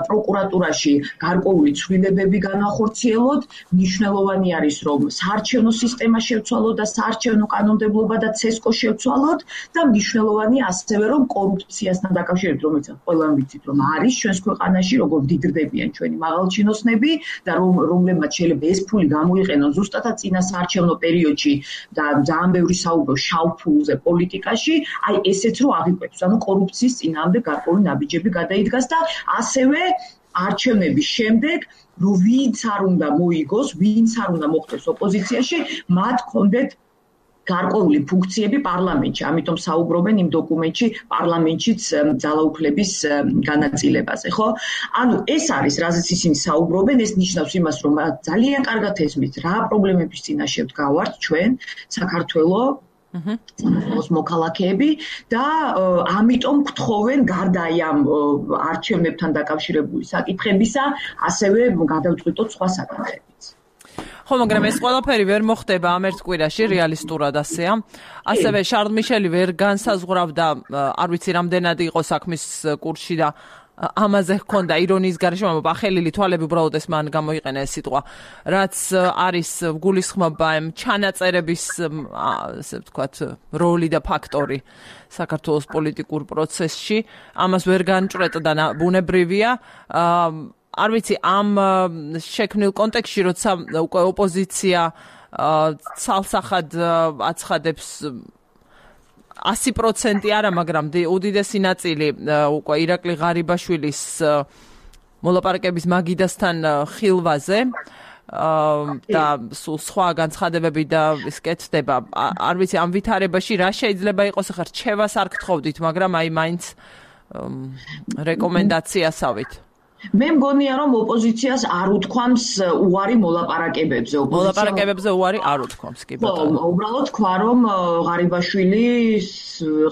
პროკურატურაში გარკვეული ცვლილებები განა ხორციელოთ, მნიშვნელოვანი არის რომ საარჩევნო სისტემა შევცვალოთ და საარჩევნო კანონმდებლობა და ცესკო შევცვალოთ და მნიშვნელოვანია ასევე რომ კორუფციასთან დაკავშირებით, რომელიც ყველამ ვიცით რომ არის ჩვენს ქვეყანაში, როგორ დიდრდებიან ჩვენი მაღალჩინოსნები და რომ რომლებმაც შეიძლება ეს ფული გამოიყენონ ზუსტად წინა საარჩევნო პერიოდში და ძალიან ბევრი საუბრობს შავ ფულზე პოლიტიკაში, აი ესეც რო აღიკვეთს, ანუ კორუფციის წინააღმდეგ გარკვეული ნაბიჯები გადაიდგას და ასევე არჩევნების შემდეგ რომ ვინც არ უნდა მოიგოს, ვინც არ უნდა მოხდეს ოპოზიციაში, მათ კონდეთ გარკვეული ფუნქციები პარლამენტში. ამიტომ საუბრობენ იმ დოკუმენტში პარლამენტშიც ძალაუფლების განაწილებაზე, ხო? ანუ ეს არის, რაზეც ისინი საუბრობენ, ეს ნიშნავს იმას, რომ ძალიან კარგად ესმით, რა პრობლემების წინაშე ვდგავართ ჩვენ, საქართველო საქართველოს მოქალაქეები და ამიტომ გთხოვენ გარდა ამ არჩევნებთან დაკავშირებული საკითხებისა, ასევე გადავწყვიტოთ სხვა საკითხებიც. ხო, მაგრამ ეს ყველაფერი ვერ მოხდება ამ ერთ კვირაში, რეალისტურად ასეა. ასევე შარლ მიშელი ვერ განსაზღვრავდა, არ ვიცი რამდენად იყო საქმის კურსში და ამაზე ჰქონდა ირონიის გარეშე, მაგრამ ახელილი თვალები უბრალოდ ეს მან გამოიყენა ეს სიტყვა, რაც არის გულისხმობა ამ ჩანაწერების, ასე ვთქვათ, როლი და ფაქტორი საქართველოს პოლიტიკურ პროცესში. ამას ვერ განჭრეტდა და ბუნებრივია. არ ვიცი, ამ შექმნილ კონტექსტში, როცა უკვე ოპოზიცია ცალსახად აცხადებს ასი პროცენტი არა, მაგრამ უდიდესი ნაწილი უკვე ირაკლი ღარიბაშვილის მოლაპარაკების მაგიდასთან ხილვაზე. და სულ სხვა განცხადებები და ის კეთდება. არ ვიცი ამ ვითარებაში რა შეიძლება იყოს, ახლა რჩევას არ გთხოვდით, მაგრამ აი მაინც რეკომენდაციასავით. მე მგონია რომ ოპოზიციას არ უთქვამს უარი მოლაპარაკებებზე. მოლაპარაკებებზე უარი არ უთქვამს, კი ბატონო. ხო, უბრალოდ თქვა რომ ღარიბაშვილი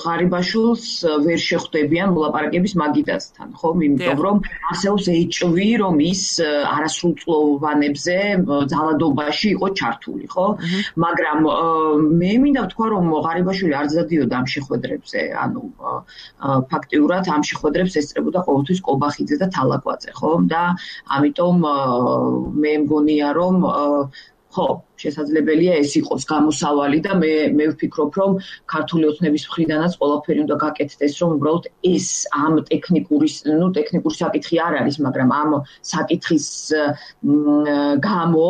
ღარიბაშვილს ვერ შეხვდებიან მოლაპარაკების მაგიდასთან, ხო? იმიტომ რომ არსებობს ეჭვი, რომ ის არასრულწლოვანებზე ძალადობაში იყო ჩართული, ხო? მაგრამ მე მინდა ვთქვა რომ ღარიბაშვილი არ ზადიოდა ამ შეხვედრებზე, ანუ ფაქტიურად ამ შეხვედრებს ესწრებოდა ყოველთვის კობახიძე და თალაკვაძე. ხო და ამიტომ მე მგონია რომ ხო შესაძლებელია ეს იყოს გამოსავალი და მე მე ვფიქრობ რომ ქართული ოცნების მხრიდანაც ყველაფერი უნდა გაკეთდეს რომ უბრალოდ ეს ამ ტექნიკური ნუ ტექნიკური საკითხი არ არის მაგრამ ამ საკითხის გამო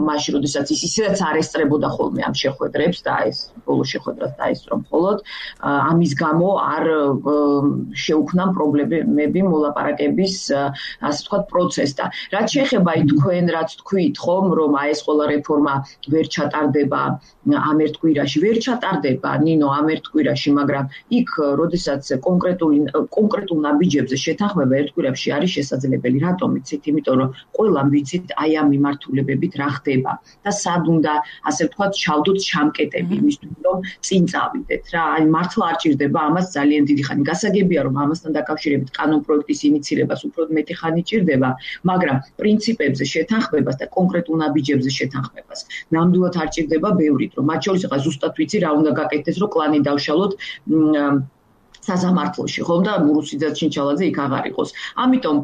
მაშინ როდესაც ის ისედაც არ ესწრებოდა ხოლმე ამ შეხვედრებს და ეს ბოლო შეხვედრას დაესწრო მხოლოდ ამის გამო არ შეუქმნა პრობლემები მოლაპარაკების ასე ვთქვათ პროცესს და რაც შეეხება თქვენ რაც თქვით ხომ რომ აი ეს ყველა რეფორმა ვერ ჩატარდება ამ ერთ კვირაში ვერ ჩატარდება ნინო ამ ერთ კვირაში მაგრამ იქ როდესაც კონკრეტული კონკრეტულ ნაბიჯებზე შეთანხმება ერთ კვირაში არის შესაძლებელი რატომ იცით იმიტომ რომ ყველამ ვიცით აი ამ მიმართულებებით რა ხდება და სად უნდა ასე ვთქვათ ჩავდოთ ჩამკეტები იმისთვის რომ წინ წავიდეთ რა აი მართლა არ ჭირდება ამას ძალიან დიდი ხანი გასაგებია რომ ამასთან დაკავშირებით კანონ პროექტის ინიცირებას უფრო მეტი ხანი ჭირდება მაგრამ პრინციპებზე შეთანხმებას და კონკრეტულ ნაბიჯებზე შეთანხმებას ნამდვილად არ ჭირდება ბევრით რომ მათ შორის ახლა ზუსტად ვიცი რა უნდა გაკეთდეს რომ კლანი დავშალოთ საზამართლოში ხომ და მურუსიძე ჩინჩალაძე იქ აღარ იყოს. ამიტომ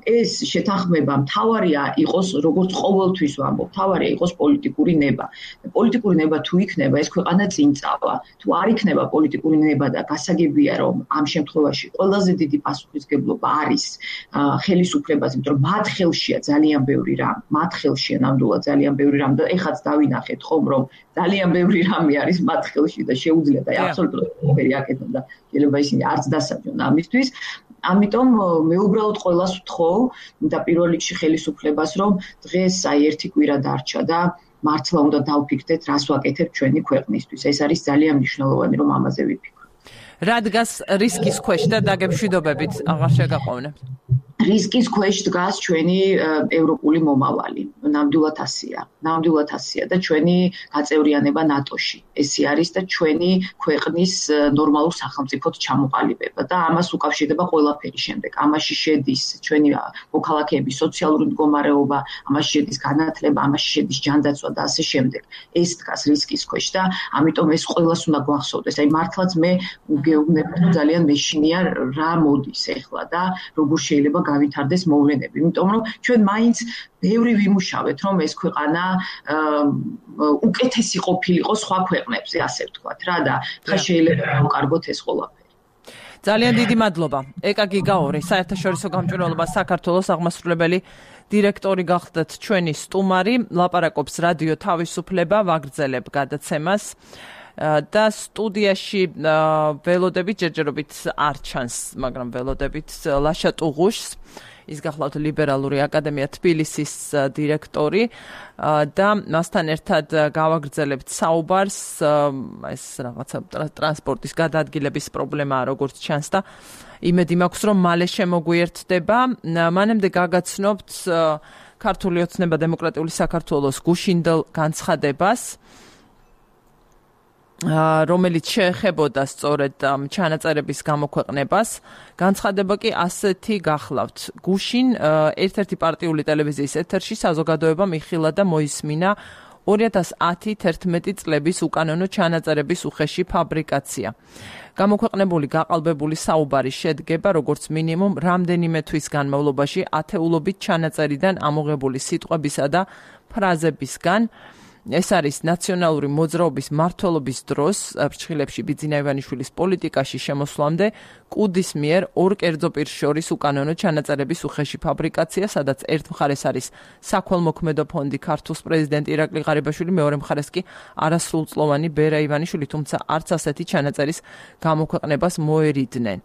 ეს შეთანხმება მთავარია იყოს როგორც ყოველთვის ვამბობ, მთავარია იყოს პოლიტიკური ნება. პოლიტიკური ნება თუ იქნება, ეს ქვეყანა წინ წავა. თუ არ იქნება პოლიტიკური ნება და გასაგებია რომ ამ შემთხვევაში ყველაზე დიდი პასუხისმგებლობა არის ხელისუფლებას, იმიტომ რომ მათ ხელშია ძალიან ბევრი რამ, მათ ხელშია ნამდვილად ძალიან ბევრი რამ და ეხაც დავინახეთ ხომ რომ ძალიან ბევრი რამი არის მათ ხელში და შეუძლია და აბსოლუტურად ყველაფერი აკეთონ და შეიძლება ისინი არც დასაჯონ ამისთვის. ამიტომ მე უბრალოდ ყველას ვთხოვ და პირველ რიგში ხელისუფლებას რომ დღეს აი ერთი კვირა დარჩა და მართლა უნდა დავფიქრდეთ რას ვაკეთებთ ჩვენი ქვეყნისთვის. ეს არის ძალიან მნიშვნელოვანი რომ ამაზე ვიფიქროთ. რა დგას რისკის ქვეშ და დაგემშვიდობებით აღარ შეგაყოვნებთ. რისკის ქვეშ დგას ჩვენი ევროპული მომავალი. ნამდვილად ასია. ნამდვილად ასია და ჩვენი გაწევრიანება ნატოში. ესე არის და ჩვენი ქვეყნის ნორმალურ სახელმწიფოდ ჩამოყალიბება და ამას უკავშირდება ყველაფერი შემდეგ. ამაში შედის ჩვენი მოქალაქეების სოციალური მდგომარეობა, ამაში შედის განათლება, ამაში შედის ჯანდაცვა და ასე შემდეგ. ეს დგას რისკის ქვეშ და ამიტომ ეს ყველას უნდა გვახსოვდეს. აი მართლაც მე გეუბნები რომ ძალიან მეშინია რა მოდის ახლა და როგორ შეიძლება გავითარდეს მოვლენები. იმიტომ რომ ჩვენ მაინც ბევრი ვიმუშავეთ რომ ეს ქვეყანა უკეთესი ყოფილიყო სხვა ქვეყნებზე, ასე ვთქვათ რა და ხა შეიძლება გავკარგოთ ეს ყველაფერი. ძალიან დიდი მადლობა. ეკა გიგაური, საერთაშორისო გამჭვირვალობა საქართველოს აღმასრულებელი დირექტორი გახდათ ჩვენი სტუმარი, ლაპარაკობს რადიო თავისუფლება, ვაგრძელებ გადაცემას. და სტუდიაში ველოდებით ჯერჯერობით არ ჩანს, მაგრამ ველოდებით ლაშა ტუღუშს, ის გახლავთ ლიბერალური აკადემია თბილისის დირექტორი და მასთან ერთად გავაგრძელებთ საუბარს, ეს რაღაცა ტრანსპორტის გადაადგილების პრობლემაა როგორც ჩანს და იმედი მაქვს რომ მალე შემოგვიერთდება. მანამდე გაგაცნობთ ქართული ოცნება დემოკრატიული საქართველოს გუშინდელ განცხადებას რომელიც შეეხებოდა სწორედ ჩანაწერების გამოქვეყნებას. განცხადება კი ასეთი გახლავთ. გუშინ ერთ-ერთი პარტიული ტელევიზიის ეთერში საზოგადოებამ იხილა და მოისმინა ორი ათას ათი თერთმეტი წლების უკანონო ჩანაწერების უხეში ფაბრიკაცია. გამოქვეყნებული გაყალბებული საუბარი შედგება როგორც მინიმუმ რამდენიმე თვის განმავლობაში ათეულობით ჩანაწერიდან ამოღებული სიტყვებისა და ფრაზებისგან. ეს არის ნაციონალური მოძრაობის მმართველობის დროს ფრჩხილებში ბიძინა ივანიშვილის პოლიტიკაში შემოსვლამდე კუდის მიერ ორ კერძო პირს შორის უკანონო ჩანაწერების უხეში ფაბრიკაცია, სადაც ერთ მხარეს არის საქველმოქმედო ფონდი ქართულს პრეზიდენტი ირაკლი ღარიბაშვილი, მეორე მხარეს კი არასრულწლოვანი ბერა ივანიშვილი, თუმცა არც ასეთი ჩანაწერის გამოქვეყნებას მოერიდნენ.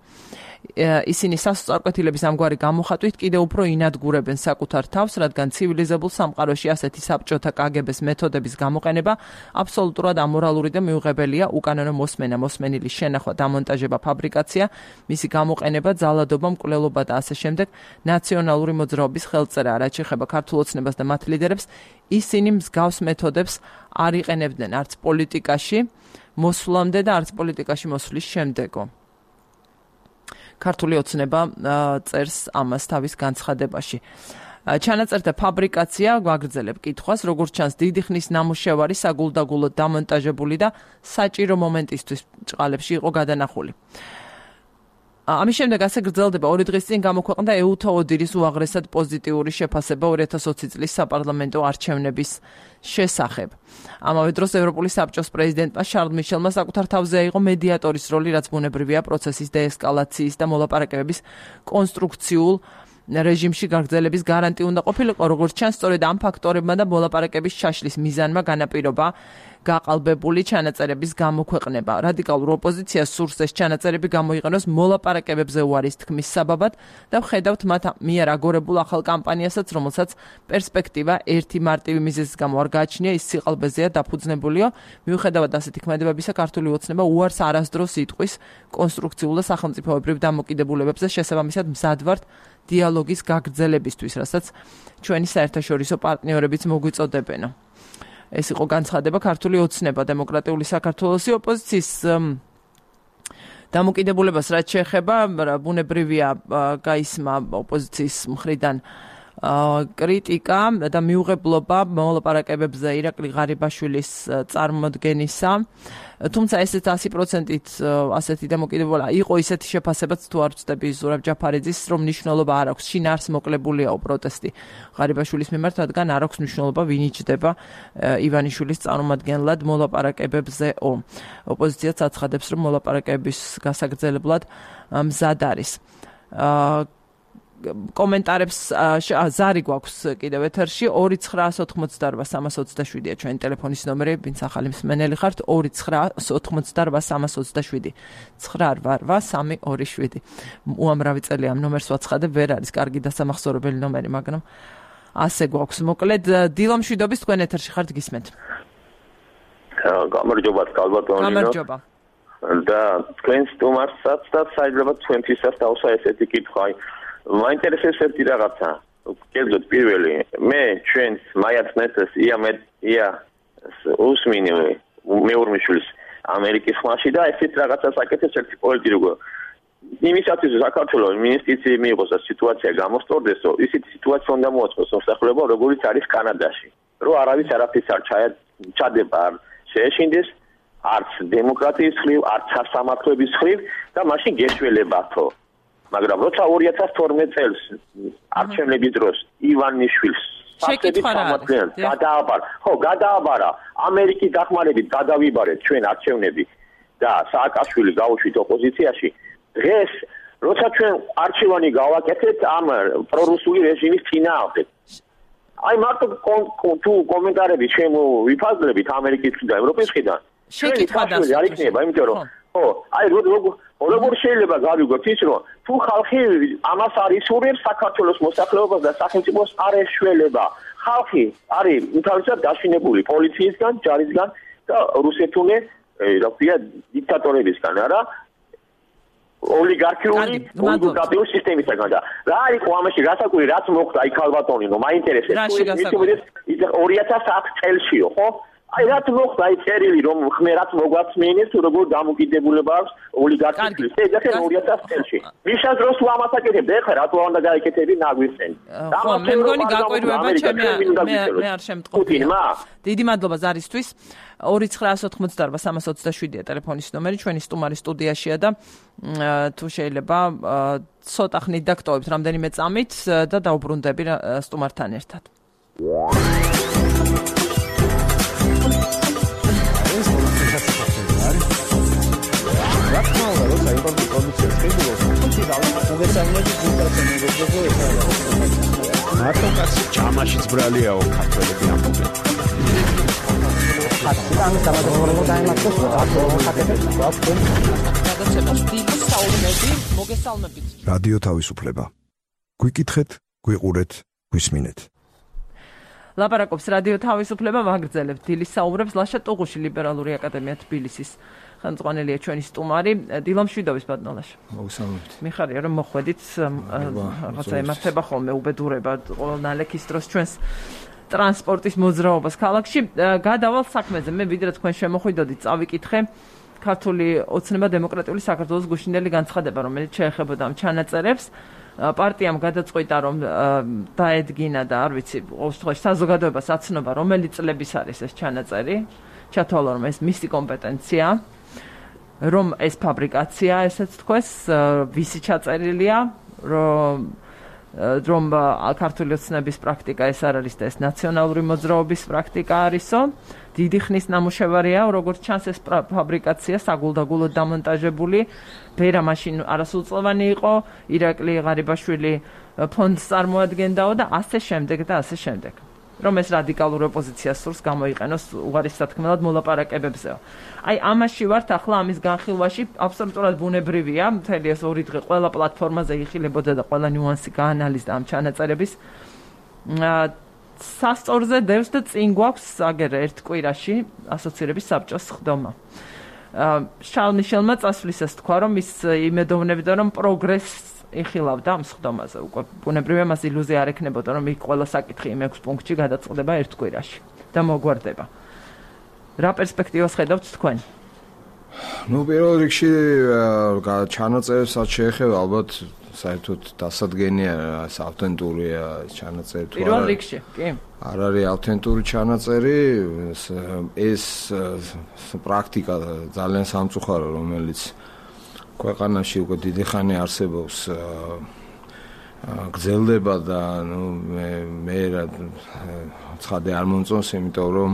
ისინი სასწორკვეთილების ამგვარი გამოხატვით კიდევ უფრო ინადგურებენ საკუთარ თავს, რადგან ცივილიზებულ სამყაროში ასეთი საბჭოთა კაგების მეთოდების გამოყენება აბსოლუტურად ამორალური და მიუღებელია. უკანონო მოსმენა, მოსმენილი შენახვა, დამონტაჟება, ფაბრიკაცია, მისი გამოყენება, ძალადობა, მკვლელობა და ასე შემდეგ ნაციონალური მოძრაობის ხელწერა. რაც შეეხება ქართულ ოცნებას და მათ ლიდერებს, ისინი მსგავს მეთოდებს არ იყენებდნენ არც პოლიტიკაში მოსვლამდე და არც პოლიტიკაში მოსვლის შემდეგო. ქართული ოცნება წერს ამას თავის განცხადებაში. ჩანაწერთა ფაბრიკაცია გვაგრძელებ კითხვას, როგორც ჩანს, დიდი ხნის ნამუშევარი საგულდაგულოდ დამონტაჟებული და საჭირო მომენტისთვის ჭყალებში იყო გადანახული. ამის შემდეგ ასე გრძელდება. ორი დღის წინ გამოქვეყნდა ეუთა ოდირის უაღრესად პოზიტიური შეფასება ორი ათას ოცი წლის საპარლამენტო არჩევნების შესახებ. ამავე დროს ევროპული საბჭოს პრეზიდენტმა შარლ მიშელმა საკუთარ თავზე აიღო მედიატორის როლი, რაც ბუნებრივია პროცესის დეესკალაციის და მოლაპარაკებების კონსტრუქციულ რეჟიმში გაგრძელების გარანტი უნდა ყოფილიყო. როგორც ჩანს, სწორედ ამ ფაქტორებმა და მოლაპარაკების ჩაშლის მიზანმა განაპირობა გაყალბებული ჩანაწერების გამოქვეყნება. რადიკალურ ოპოზიციას სურს ეს ჩანაწერები გამოიყენოს მოლაპარაკებებზე უარის თქმის საბაბად და ვხედავთ მათ მიერ აგორებულ ახალ კამპანიასაც, რომელსაც პერსპექტივა ერთი მარტივი მიზეზის გამო არ გააჩნია, ის სიყალბეზეა დაფუძნებულიო. მიუხედავად ასეთი ქმედებებისა, ქართული ოცნება უარს არასდროს იტყვის კონსტრუქციულ და სახელმწიფოებრივ დამოკიდებულებებზე, შესაბამისად მზად ვართ დიალოგის გაგრძელებისთვის, რასაც ჩვენი საერთაშორისო პარტნიორებიც მოგვიწოდებენ. ეს იყო განცხადება ქართული ოცნება დემოკრატიული საქართველოსი ოპოზიციის დამოკიდებულებას რაც შეეხება, ბუნებრივია გაისმა ოპოზიციის მხრიდან კრიტიკა და მიუღებლობა მოლაპარაკებებზე ირაკლი ღარიბაშვილის წარმოდგენისა. თუმცა ესეც ასი პროცენტით ასეთი დამოკიდებულება იყო ისეთი შეფასებაც თუ არ ვწდები ზურაბ ჯაფარიძის, რომ მნიშვნელობა არ აქვს. შინ არს მოკლებულია პროტესტი ღარიბაშვილის მიმართ, რადგან არ აქვს მნიშვნელობა ვინ იჯდება ივანიშვილის წარმომადგენლად მოლაპარაკებებზეო. ოპოზიციაც აცხადებს, რომ მოლაპარაკების გასაგრძელებლად მზად არის. კომენტარებს ზარი გვაქვს კიდევ ეთერში ორი ცხრაას ოთხმოცდარვა სამას ოცდაშვიდია ჩვენი ტელეფონის ნომერი, ვინც ახალი მსმენელი ხართ, ორი ცხრაას ოთხმოცდარვა სამას ოცდაშვიდი ცხრა რვა რვა სამი ორი შვიდი. უამრავი წელი ამ ნომერს ვაცხადებ, ვერ არის კარგი დასამახსოვრებელი ნომერი, მაგრამ ასე გვაქვს. მოკლედ დილო მშვიდობის, თქვენ ეთერში ხართ, გისმენთ. გამარჯობა, კალბატონინო. გამარჯობა. და თქვენ სტუმარსაც და შეიძლება თქვენთვისაც დავსვა ესეთი კითხვა. მაინტერესებს ერთი რაღაცა. კერძოდ პირველი, მე ჩვენს მაიათნესეს ია მე ია უსმინი მეურმიშვილის ამერიკის ხმაში და ესეთ რაღაცას აკეთებს ერთი პოლიტიკო. იმისათვის საქართველოს მინისტრიცი მიიღოს და სიტუაცია გამოსწორდეს, რომ ისეთი სიტუაცია უნდა მოაწყოს მოსახლეობა, როგორც არის კანადაში. რომ არავის არაფერს არ ჩადება, არ შეეშინდეს, არც დემოკრატიის ხრივ, არც სასამართლოების ხრივ და მაშინ გეშველებათო. მაგრამ როცა ორი ათას თორმეტ წელს არჩევნების დროს ივანიშვილს გადააბარა, ხო, გადააბარა ამერიკის დახმარებით გადავიბარეთ ჩვენ არჩევნები და სააკაშვილი გაუშვით ოპოზიციაში. დღეს როცა ჩვენ არჩევანი გავაკეთეთ ამ პრორუსული რეჟიმის წინააღმდეგ. აი მარტო თუ კომენტარები შემოვიფაზლებით ამერიკის და ევროპის მხრიდან შეკითხვა დასწრება არ იქნება, იმიტომ რომ ხო, აი როგორ შეიძლება გავიგოთ ის, რომ თუ ხალხი ამას არ ისურვებს საქართველოს მოსახლეობას და სახელმწიფოს არ ეშველება. ხალხი არის უთავისად დაშინებული პოლიციისგან, ჯარისგან და რუსეთული, რა ქვია, დიქტატორებისგან, არა? ოლიგარქიული კონსულტატიული სისტემისგან და რა იყო ამაში გასაკვირი, რაც მოხდა აი ქალბატონინო, მაინტერესებს. ის ორი ათას ათი წელშიო, ხო? აი რაც მოხდა აი წერილი რომ ხმერაც მოგვაცმენეს თუ როგორ დამოკიდებულება აქვს ოლიგარქიის. ეხლა ორი ათას წელში. მიშას დროს თუ ამას აკეთებ, ეხლა რატო უნდა გაიკეთები ნაგვისწენი. ხო, მე მგონი გაკვირვება ჩემი მე არ შემტყობია. დიდი მადლობა ზარისთვის. ორი ცხრაას ოთხმოცდარვა სამას ოცდაშვიდია ტელეფონის ნომერი, ჩვენი სტუმარი სტუდიაშია და თუ შეიძლება ცოტა ხნით დაგტოვებთ რამდენიმე წამით და დავბრუნდები სტუმართან ერთად. მოგესალმებით ვიკრატონ მეგობრებო მარტო კაცი ჯამაშიც ბრალიაო ქართველები ამბობენ ხატი დამადროლებო დაიმართოს ხატები გადაცემას დიდი საუბნები მოგესალმებით რადიო თავისუფლება გვიკითხეთ გვიყურეთ გვისმინეთ ლაპარაკობს რადიო თავისუფლება ვაგრძელებთ დილის საუბრებს ლაშა ტუღუში ლიბერალური აკადემია თბილისის ხელმძღვანელია ჩვენი სტუმარი დილა მშვიდობის ბატონალაშა მოგესალმებით მიხარია რომ მოხვედით რაღაცა ემართება ხოლმე უბედურება ყოველ ნალექის დროს ჩვენს ტრანსპორტის მოძრაობას ქალაქში გადავალ საქმეზე მე ვიდრე თქვენ შემოხვიდოდით წავიკითხე ქართული ოცნება დემოკრატიული საქართველოს გუშინდელი განცხადება რომელიც შეეხებოდა ამ ჩანაწერებს პარტიამ გადაწყვიტა რომ დაედგინა და არ ვიცი ყოველ შემთხვევაში საზოგადოებას აცნობა რომელი წლების არის ეს ჩანაწერი ჩათვალა რომ ეს მისი კომპეტენცია რომ ეს ფაბრიკაცია ესეც თქვეს ვისი ჩაწერილია რომ რომ ქართული ოცნების პრაქტიკა ეს არ არის და ეს ნაციონალური მოძრაობის პრაქტიკა არისო დიდი ხნის ნამუშევარია როგორც ჩანს ეს ფაბრიკაცია საგულდაგულოდ დამონტაჟებული ბერა მაშინ არასრულწლოვანი იყო ირაკლი ღარიბაშვილი ფონდს წარმოადგენდაო და ასე შემდეგ და ასე შემდეგ რომ ეს რადიკალურ ოპოზიციას სურს გამოიყენოს უღარის სათქმელად მოლაპარაკებებზეო. აი ამაში ვართ ახლა ამის განხილვაში აბსოლუტურად ბუნებრივია, მთელი ეს ორი დღე ყველა პლატფორმაზე იხილებოდა და ყველა ნიუანსი გაანალიზდა ამ ჩანაწერების. სასწორზე დევს და წინ გვაქვს აგერე ერთ კვირაში ასოცირების საბჭოს ხდომა. შარლ მიშელმა წასვლისას თქვა რომ ის იმედოვნებდა რომ პროგრესს იხილავდა ამ სხდომაზე. უკვე ბუნებრივია მას ილუზია არ ექნებოდა რომ იქ ყველა საკითხი იმ ექვს პუნქტში გადაწყდება ერთ კვირაში და მოგვარდება. რა პერსპექტივას ხედავთ თქვენ? ნუ პირველ რიგში ჩანაწერებსაც შეეხება ალბათ საერთოდ დასადგენია ეს ავთენტურია ჩანაწერი თუ არა. პირველ რიგში, კი. არ არის ავთენტური ჩანაწერი, ეს პრაქტიკა ძალიან სამწუხარო რომელიც ქვეყანაში უკვე დიდი ხანი არსებობს გრძელდება და ნუ მე მე ცხადე არ მომწონს იმიტომ რომ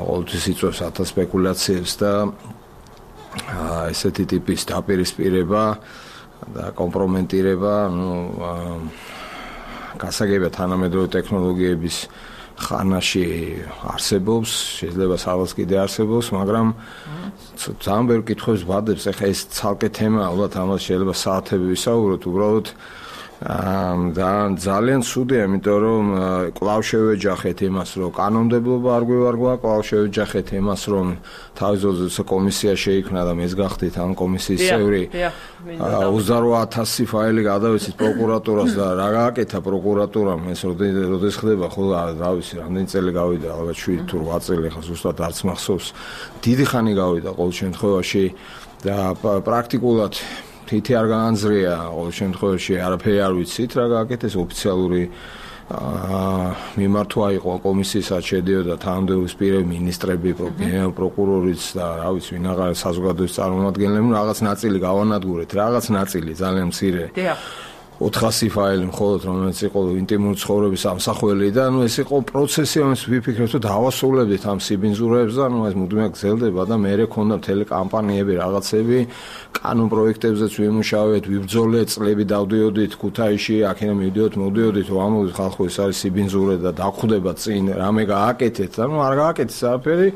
ყოველთვის იწვევს ათას სპეკულაციებს და ესეთი ტიპის დაპირისპირება და კომპრომენტირება ნუ გასაგებია თანამედროვე ტექნოლოგიების ხანაში არსებობს, შეიძლება სადღაც კიდე არსებობს, მაგრამ ძალიან ბევრი კითხვებს ვადებს, ეხლა ეს ცალკე თემა, ალბათ ამას შეიძლება საათები ვისაუბროთ, უბრალოდ და ძალიან ცუდია, იმიტომ რომ კვლავ შევეჯახეთ იმას, რომ კანონმდებლობა არ გვევარგვა, კვლავ შევეჯახეთ იმას, რომ თავის ძროზე კომისია შეიქმნა და მეც გახდით ამ კომისიის წევრი. ოცდაოთხ ათასი ფაილი გადავეცით პროკურატურას და რა გააკეთა პროკურატურამ, ეს როდეს ხდება, ხო, რა ვიცი, რამდენი წელი გავიდა, ალბათ შვიდი თუ რვა წელი, ხა ზუსტად არც მახსოვს. დიდი ხანი გავიდა ყოველ შემთხვევაში და პრაქტიკულად თითი არ გაანძრია ყოველ შემთხვევაში არაფერი არ ვიცით რა გააკეთეს ოფიციალური მიმართვა იყო კომისიასაც შედიოდა თანამდებობის პირები მინისტრები პროკურორიც და რა ვიცი ვინ აღარ საზოგადოების წარმომადგენლები რაღაც ნაწილი გავანადგურეთ რაღაც ნაწილი ძალიან მცირე ოთხასი ფაილი მხოლოდ რომელიც იყო ინტიმური ცხოვრების ამსახველი და ნუ ეს იყო პროცესი რომელიც ვიფიქრეთ რომ დავასრულებდით ამ სიბინძურეებს და ნუ ეს მუდმივად გრძელდება და მეერე ქონდა მთელი კამპანიები რაღაცები კანონ პროექტებზეც ვიმუშავეთ ვიბრძოლეთ წლები დავდიოდით ქუთაისში აქედან მივდიოთ მოდიოდით ვამბობთ ხალხო ეს არის სიბინძურე და დაგხვდება წინ რამე გააკეთეთ და ნუ არ გააკეთეს არაფერი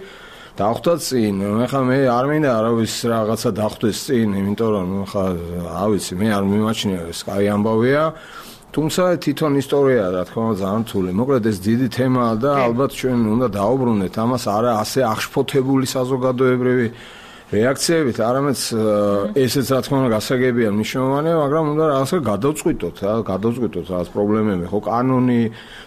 დახვდა წინ ეხლა მე არ მინდა არავის რაღაცა დახვდეს წინ იმიტომ რომ ეხლა რა ვიცი მე არ მიმაჩნია ეს კაი ამბავია თუმცა თვითონ ისტორიაა რა თქმა უნდა ძალიან რთული მოკლედ ეს დიდი თემაა და ალბათ ჩვენ უნდა დაუბრუნდეთ ამას არა ასე აღშფოთებული საზოგადოებრივი რეაქციებით არამედ ესეც რა თქმა უნდა გასაგებია მნიშვნელოვანია მაგრამ უნდა რაღაცა გადავწყვიტოთ რა გადავწყვიტოთ რაღაც პრობლემები ხო კანონი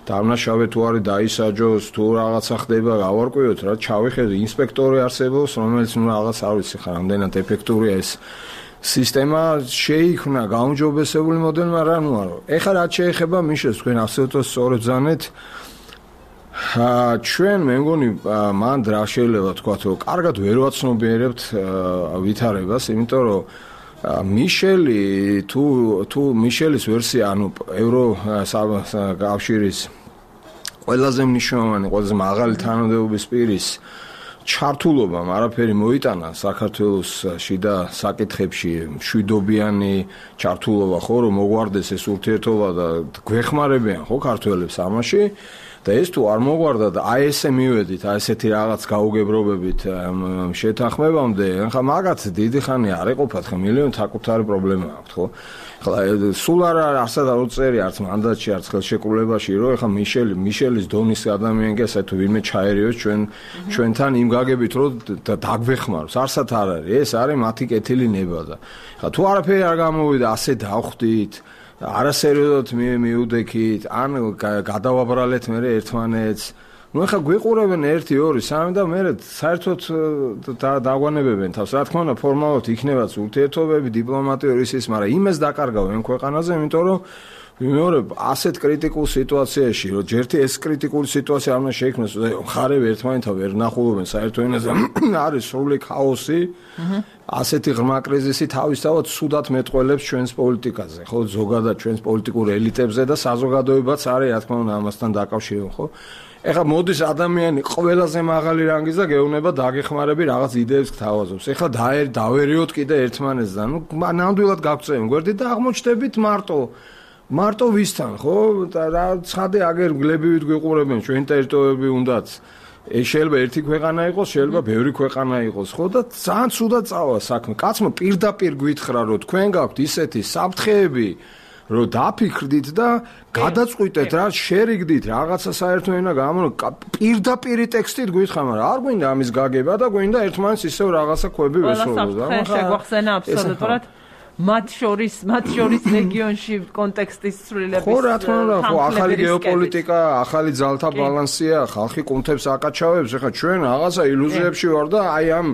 დამნაშავე თუ არის დაისაჯოს თუ რაღაცა ხდება გავარკვიოთ რა ჩავიხედოთ ინსპექტორი არსებობს რომელიც ნუ რაღაც არ ვიცი ხარ რამდენად ეფექტურია ეს სისტემა შეიქმნა გაუმჯობესებული მოდელი მაგრამ ნუ არა ეხლა რაც შეეხება მიშეს თქვენ აბსოლუტურად სწორად ზანეთ ჩვენ მე მგონი მან რა შეიძლება თქვათ რომ კარგად ვერ ვაცნობიერებთ ვითარებას იმიტომ რომ მიშელი თუ თუ მიშელის ვერსია ანუ ევრო კავშირის ყველაზე მნიშვნელოვანი ყველაზე მაღალი თანამდებობის პირის ჩართულობამ არაფერი მოიტანა საქართველოს შიდა საკითხებში, მშვიდობიანი ჩართულობა ხო რომ მოგვარდეს ეს ურთიერთობა და გვეხმარებიან ხო ქართველებს ამაში და ეს თუ არ მოგვარდა და აი ესე მივედით, აი ესეთი რაღაც გაუგებრობებით შეთანხმებამდე, ხა მაგაც დიდი ხანი არ ეყოფათ, ხა მილიონი საკუთარი პრობლემა აქვს, ხო? ხა სულ არ არსად არ უწერი არც მანდატში, არც ხელშეკრულებაში, რომ ხა მიშელი, მიშელის დონის ადამიანია, ასე თუ ვინმე ჩაერიოს ჩვენ ჩვენთან იმ გაგებით, რომ დაგვეხმაროს, არსად არ არის, ეს არის მათი კეთილი ნება და ხა თუ არაფერი არ გამოვიდა, ასე დავხვდით არასერიოზულად მიუდექით, ან გადავაბრალეთ მე ერთმანეთს. ნუ ახლა გვიყურებენ ერთი, ორი, სამი და მე საერთოდ დაგვანებებენ თავს. რა თქმა უნდა, ფორმალურად იქნებაც ურთიერთობები, დიპლომატიური ის, მაგრამ იმას დაკარგავენ ქვეყანაზე, იმიტომ რომ მეორე ასეთ კრიტიკულ სიტუაციაში, რომ ჯერთი ეს კრიტიკული სიტუაცია არ უნდა შეიქმნას, მხარეები ერთმანეთთან ვერ ნახულობენ საერთო ენაზე, არის სრული ქაოსი. ასეთი ღრმა კრიზისი თავისთავად სუდად მეტყველებს ჩვენს პოლიტიკაზე, ხო, ზოგადად ჩვენს პოლიტიკურ ელიტებზე და საზოგადოებაც არის, რა თქმა უნდა, ამასთან დაკავშირებული, ხო? ეხლა მოდის ადამიანი ყველაზე მაღალი რანგის და გეუბნება დაგეხმარები რაღაც იდეებს გთავაზობს. ეხლა დავერიოთ კიდე ერთმანეთს და ნუ ნამდვილად გაგწევენ გვერდით და აღმოჩნდებით მარტო მარტო ვისთან, ხო? და რა ცხადე აგერ გლებივით გვიყურებენ ჩვენ ტერიტორიები უნდაც. ეს შეიძლება ერთი ქვეყანა იყოს, შეიძლება ბევრი ქვეყანა იყოს, ხო? და ძალიან ცუდად წავა საქმე. კაცმა პირდაპირ გვითხრა, რომ თქვენ გაქვთ ისეთი საფრთხეები, რომ დაფიქრდით და გადაწყვიტეთ რა, შერიგდით რაღაცა საერთო ენა გამო პირდაპირი ტექსტით გვითხრა, მაგრამ არ გვინდა ამის გაგება და გვინდა ერთმანეთს ისევ რაღაცა ხვები ვესწრებოდეთ. ახლა შეგვახსენა აბსოლუტურად მათ შორის, მათ შორის რეგიონში კონტექსტის ცვლილების. ხო, რა თქმა უნდა, ხო, ახალი გეოპოლიტიკა, ახალი ძალთა ბალანსია, ხალხი კუნთებს აკაჩავებს, ეხლა ჩვენ რაღაცა ილუზიებში ვარ და აი ამ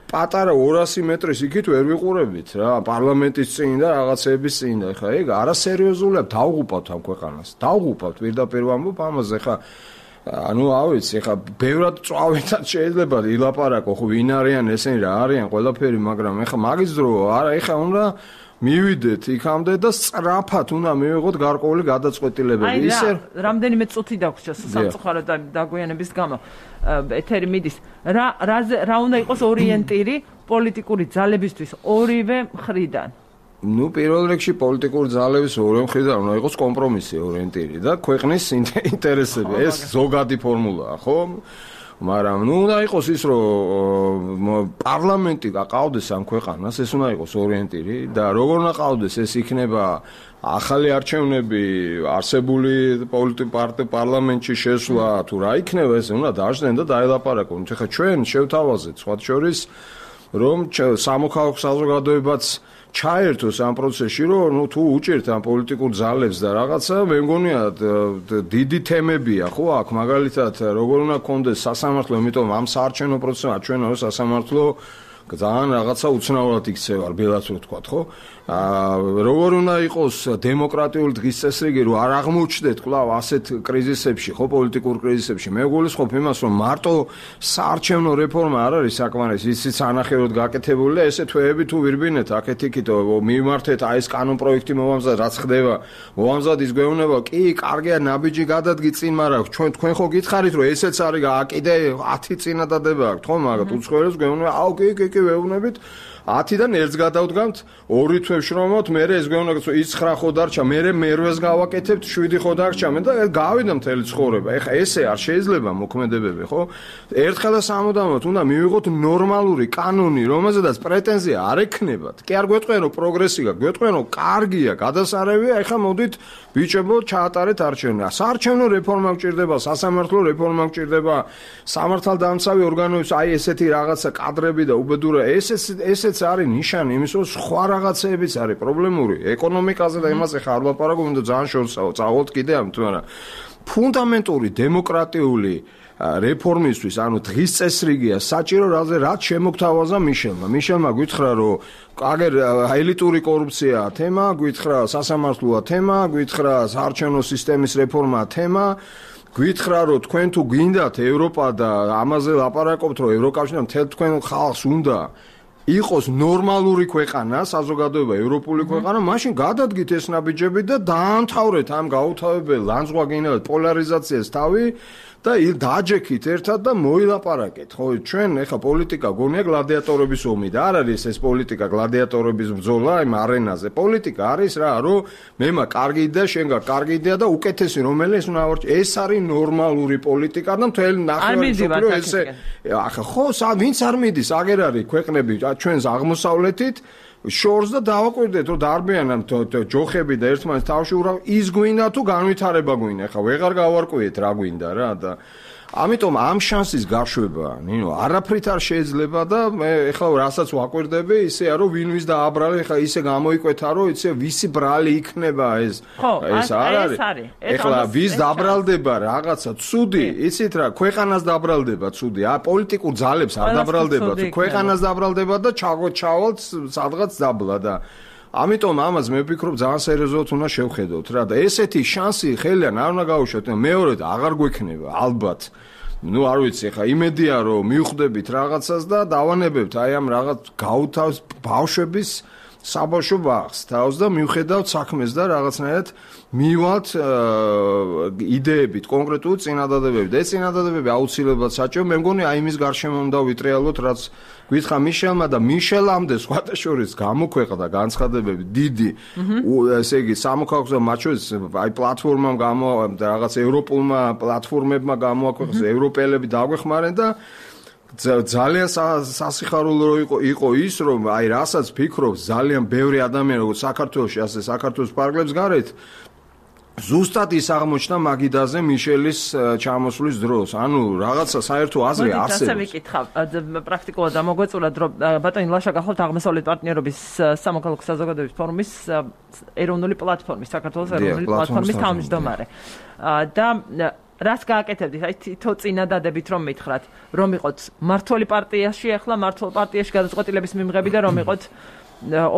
პატარა ორასი მეტრის იქით ვერ ვიყურებით რა, პარლამენტის წინ და რაღაცეების წინ და ეხლა ეგ არასერიოზულია, დავღუპავთ ამ ქვეყანას. დავღუპავთ პირდაპირ ვამბობ ამაზე, ეხლა ანუ ავიცი, ეხლა ბევრად წვავეთად შეიძლება ილაპარაკო, ხო, ვინ არიან ესენი, რა არიან, ყველაფერი, მაგრამ ეხლა მაგის დრო არა, ეხლა უნდა მივიდეთ იქამდე და სწრაფად უნდა მივიღოთ გარკვეული გადაწყვეტილებები. ისე რამდენიმე წუთი დაგვრჩა სამწუხაროდ დაგვიანების გამო ეთერი მიდის. რა რა უნდა იყოს ორიენტირი პოლიტიკური ძალებისთვის ორივე მხრიდან? ნუ პირველ რიგში პოლიტიკური ძალების ორივე მხრიდან უნდა იყოს კომპრომისი ორიენტირი და ქვეყნის ინტერესები. ეს ზოგადი ფორმულაა, ხო? მაგრამ ნუ უნდა იყოს ის, რომ პარლამენტი გაყავდეს ამ ქვეყანას, ეს უნდა იყოს ორიენტირი და როგორ უნდა ყავდეს, ეს იქნება ახალი არჩევნები, არსებული პოლიტიკური პარტია პარლამენტში შესვლა, თუ რა იქნება, ეს უნდა დაждენ და დაელაპარაკონ. ეხლა ჩვენ შევთავაზეთ სხვა შორის, რომ სამოქალაქო საზოგადოებაც ჩაერთოს ამ პროცესში, რომ ნუ თუ უჭერთ ამ პოლიტიკურ ძალებს და რაღაცა, მე მგონია დიდი თემებია, ხო, აქ მაგალითად როგორ უნდა კონდეს სასამართლო, იმიტომ ამ საარჩევნო პროცესში ჩვენ არის სასამართლო ძალიან რაღაცა უცნაურად იქცევა, ბელაც რო თქვა, ხო? აა როგორ უნდა იყოს დემოკრატიული დღის წესრიგი, რომ არ აღმოჩნდეთ კვლავ ასეთ კრიზისებში, ხო, პოლიტიკურ კრიზისებში. მე გულისხმობ იმას, რომ მარტო საარჩევნო რეფორმა არ არის საკმარისი, ისიც ანახევროდ გაკეთებული და ესე თვეები თუ ვირბინეთ აქეთ-იქით, მიმართეთ აი ეს კანონ პროექტი მოვამზად, რაც ხდება, მოვამზად ის გვეუბნება, კი, კარგია, ნაბიჯი გადადგი წინ, მაგრამ ჩვენ თქვენ ხო გითხარით, რომ ესეც არის კიდე ათი წინადადება აქვს, ხო, მაგრამ უცხოელებს გვეუბნება, აუ, კი, კი, კი, ვეუბნებით ათიდან ერთს გადავდგამთ, ორი თვე ვშრომობთ, მე ეს გვეუბნება, იცხრა ხო დარჩა, მე მერვეს გავაკეთებთ, შვიდი ხო დარჩა, მე და გავიდა მთელი ცხოვრება. ეხა ესე არ შეიძლება მოქმედებები, ხო? ერთხელ და სამუდამოდ უნდა მივიღოთ ნორმალური კანონი, რომელზედაც პრეტენზია არ ექნებათ. კი არ გვეტყვენ, რომ პროგრესი გაქვს, გვეტყვენ, რომ კარგია, გადასარევია, ეხა მოდით ბიჭებო, ჩაატარეთ არჩევნები. საარჩევნო რეფორმა გჭირდება, სასამართლო რეფორმა გჭირდება, სამართალდამცავი ორგანოების აი ესეთი რაღაცა კადრები და უბედურა, ესეც ესეც არის ნიშანი იმის, რომ სხვა რაღაცეებიც არის პრობლემური, ეკონომიკაზე და იმაზე ხარ ლაპარაკობ და ძალიან შორსაო, წავალთ კიდე ამ თუმცა ფუნდამენტური დემოკრატიული რეფორმისთვის, ანუ დღის წესრიგია საჭირო, რაც შემოგთავაზა მიშელმა. მიშელმა გითხრა, რომ აგერ ელიტური კორუფცია თემა, გითხრა სასამართლოა თემა, გითხრა საარჩევნო სისტემის რეფორმა თემა, გითხრა, რომ თქვენ თუ გინდათ ევროპა და ამაზე ლაპარაკობთ, რომ ევროკავშირი მთელ თქვენ ხალხს უნდა იყოს ნორმალური ქვეყანა, საზოგადოება ევროპული ქვეყანა, მაშინ გადადგით ეს ნაბიჯები და დაამთავრეთ ამ გაუთავებელ ლანძღვაგინებად პოლარიზაციას თავი და დააჯექით ერთად და მოილაპარაკეთ. ხო, ჩვენ ეხა პოლიტიკა გონია გლადიატორების ომი და არ არის ეს პოლიტიკა გლადიატორების ბრძოლა იმ არენაზე. პოლიტიკა არის რა, რომ მე მა კარგი იდეა, შენ გა კარგი იდეა და უკეთესი რომელიც უნდა ავარჩი. ეს არის ნორმალური პოლიტიკა და მთელი ნახევარი მსოფლიო ესე ახლა ხო, ვინც არ მიდის, აგერ არის ქვეყნები ჩვენს აღმოსავლეთით შორს და დავაკვირდეთ რომ დარბიანან ჯოხები და ერთმანეთს თავში ურავ ის გვინდა თუ განვითარება გვინდა ხა ვეღარ გავარკვიეთ რა გვინდა რა და ამიტომ ამ შანსის გაშვება ნინო არაფრით არ შეიძლება და მე ეხლა რასაც ვაკვირდები ისეა რომ ვინ ვის დააბრალე ეხლა ისე გამოიკვეთა რომ იცი ვისი ბრალი იქნება ეს ეს არ არის ეხლა ვის დაბრალდება რაღაცა ცუდი იცით რა ქვეყანას დაბრალდება ცუდი ა პოლიტიკურ ძალებს არ დაბრალდება ქვეყანას დაბრალდება და ჩავალთ სადღაც დაბლა და ამიტომ ამას მე ვფიქრობ ძალიან სერიოზულად უნდა შევხედოთ რა და ესეთი შანსი ხელიდან არ უნდა გაუშვათ მეორედ აღარ გვექნება ალბათ ну არ ვიცი ხა იმედია რომ მივხვდებით რაღაცას და დავანებებთ აი ამ რაღაც გაუთავს ბავშვების საბავშვო ბაღს თავს და მივხედავთ საქმეს და რაღაცნაირად მივალთ იდეებით კონკრეტული წინადადებებით და ეს წინადადებები აუცილებლად საჭირო მე მგონი აი იმის გარშემო უნდა ვიტრიალოთ რაც გითხრა მიშელმა და მიშელამდე სხვათა შორის გამოქვეყნდა განცხადებები დიდი ესე იგი სამოქალაქო მათ შორის აი პლატფორმამ გამო რაღაც ევროპულმა პლატფორმებმა გამოაქვეყნეს ევროპელები დაგვეხმარენ და ძალიან სასიხარულო იყო იყო ის რომ აი რასაც ფიქრობს ძალიან ბევრი ადამიანი როგორც საქართველოში ასე საქართველოს პარკლებს გარეთ ზუსტად ის აღმოჩნდა მაგიდაზე მიშელის ჩამოსვლის დროს. ანუ რაღაცა საერთო აზრი არსებობს. ასე ვიკითხავ, პრაქტიკულად ამოგვეწურათ რომ ბატონი ლაშა გახლავთ აღმოსავლეთ პარტნიორობის სამოქალაქო საზოგადოების ფორუმის ეროვნული პლატფორმის, საქართველოს ეროვნული პლატფორმის თავმჯდომარე. და რას გააკეთებდით? აი თითო წინადადებით რომ მითხრათ, რომ იყოთ მართველი პარტიაში, ახლა მართლ პარტიაში გადაწყვეტილების მიმღები და რომ იყოთ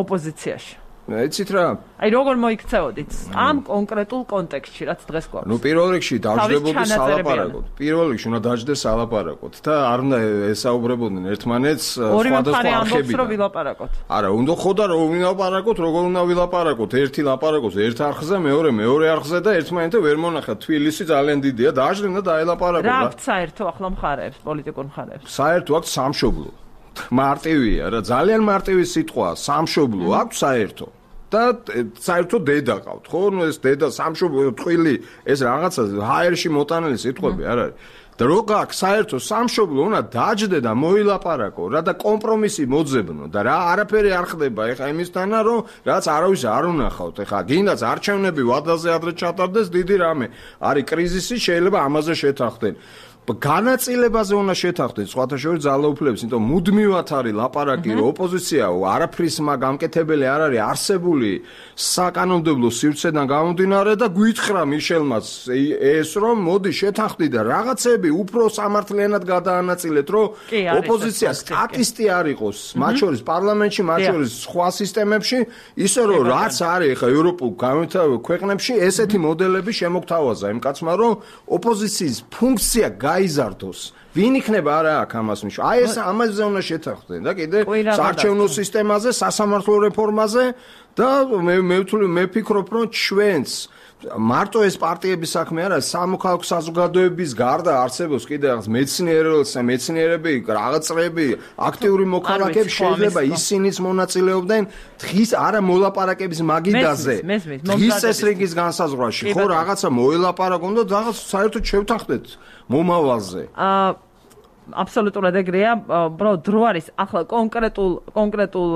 ოპოზიციაში. ეცით რა აი როგორ მოიქცეოდით ამ კონკრეტულ კონტექსტში რაც დღეს გვაქვს ნუ პირველ რიგში დავждებოდი სალაპარაკოდ პირველ რიგში უნდა დაждდეს სალაპარაკოდ და არ უნდა ესაუბრებოდნენ ერთმანეთს სხვადასხვა არხებით არა უნდა ხოდა რომ ვილაპარაკოთ როგორ უნდა ვილაპარაკოთ ერთი ლაპარაკობს ერთ არხზე მეორე მეორე არხზე და ერთმანეთთან ვერ მონახათ თბილისი ძალიან დიდია დაждდნენ და დაელაპარაკოთ რა აქვს საერთო ახლა მხარეებს პოლიტიკურ მხარეებს საერთო აქვს სამშობლო მარტივია რა ძალიან მარტივი სიტყვა სამშობლო აქვს საერთო და საერთოდ დედა ყავთ ხო ნუ ეს დედა სამშობლო ტყვილი ეს რაღაცა ჰაერში მოტანილი სიტყვები არ არის და რო გაქვს საერთო სამშობლო უნდა დაждდე და მოილაპარაკო რა და კომპრომისი მოძებნო და რა არაფერი არ ხდება ეხა იმისთანა რომ რაც არავის არ უნახავთ ეხა გინდაც არჩევნები ვადაზე ადრე ჩატარდეს დიდი რამე არის კრიზისი შეიძლება ამაზე შეთანხმდნენ განაწილებაზე უნდა შეთანხმდეთ სხვათა შორის ძალაუფლებს, იმიტომ მუდმივად არის ლაპარაკი, რომ ოპოზიცია არაფრის მაგამკეთებელი არ არის არსებული საკანონმდებლო სივრცედან გამომდინარე და გვითხრა მიშელმაც ეს რომ მოდი შეთანხმდით და რაღაცები უფრო სამართლიანად გადაანაწილეთ, რომ ოპოზიცია სტატისტი არ იყოს, მათ შორის პარლამენტში, მათ შორის სხვა სისტემებში, ისე რომ რაც არის ახლა ევროპულ განვითარებულ ქვეყნებში, ესეთი მოდელები შემოგთავაზა იმ კაცმა, რომ ოპოზიციის ფუნქცია გაიზარდოს. ვინ იქნება არა აქ ამას ნიშნავს? აი ეს ამაზე უნდა შეთანხმდნენ და კიდე საარჩევნო სისტემაზე, სასამართლო რეფორმაზე და მე მე ვთვლი მე ვფიქრობ რომ ჩვენს მარტო ეს პარტიების საქმე არა, სამოქალაქო საზოგადოების გარდა არსებობს კიდე რაღაც მეცნიერებს, მეცნიერები, რაღაც წრეები, აქტიური მოქალაქეები შეიძლება ისინიც მონაწილეობდნენ დღის არა მოლაპარაკების მაგიდაზე. დღის წესრიგის განსაზღვრაში ხო რაღაცა მოელაპარაკონ და რაღაც საერთოდ შევთანხმდეთ მომავალზე. აა აბსოლუტურად ეგრეა, უბრალოდ დრო არის ახლა კონკრეტულ კონკრეტულ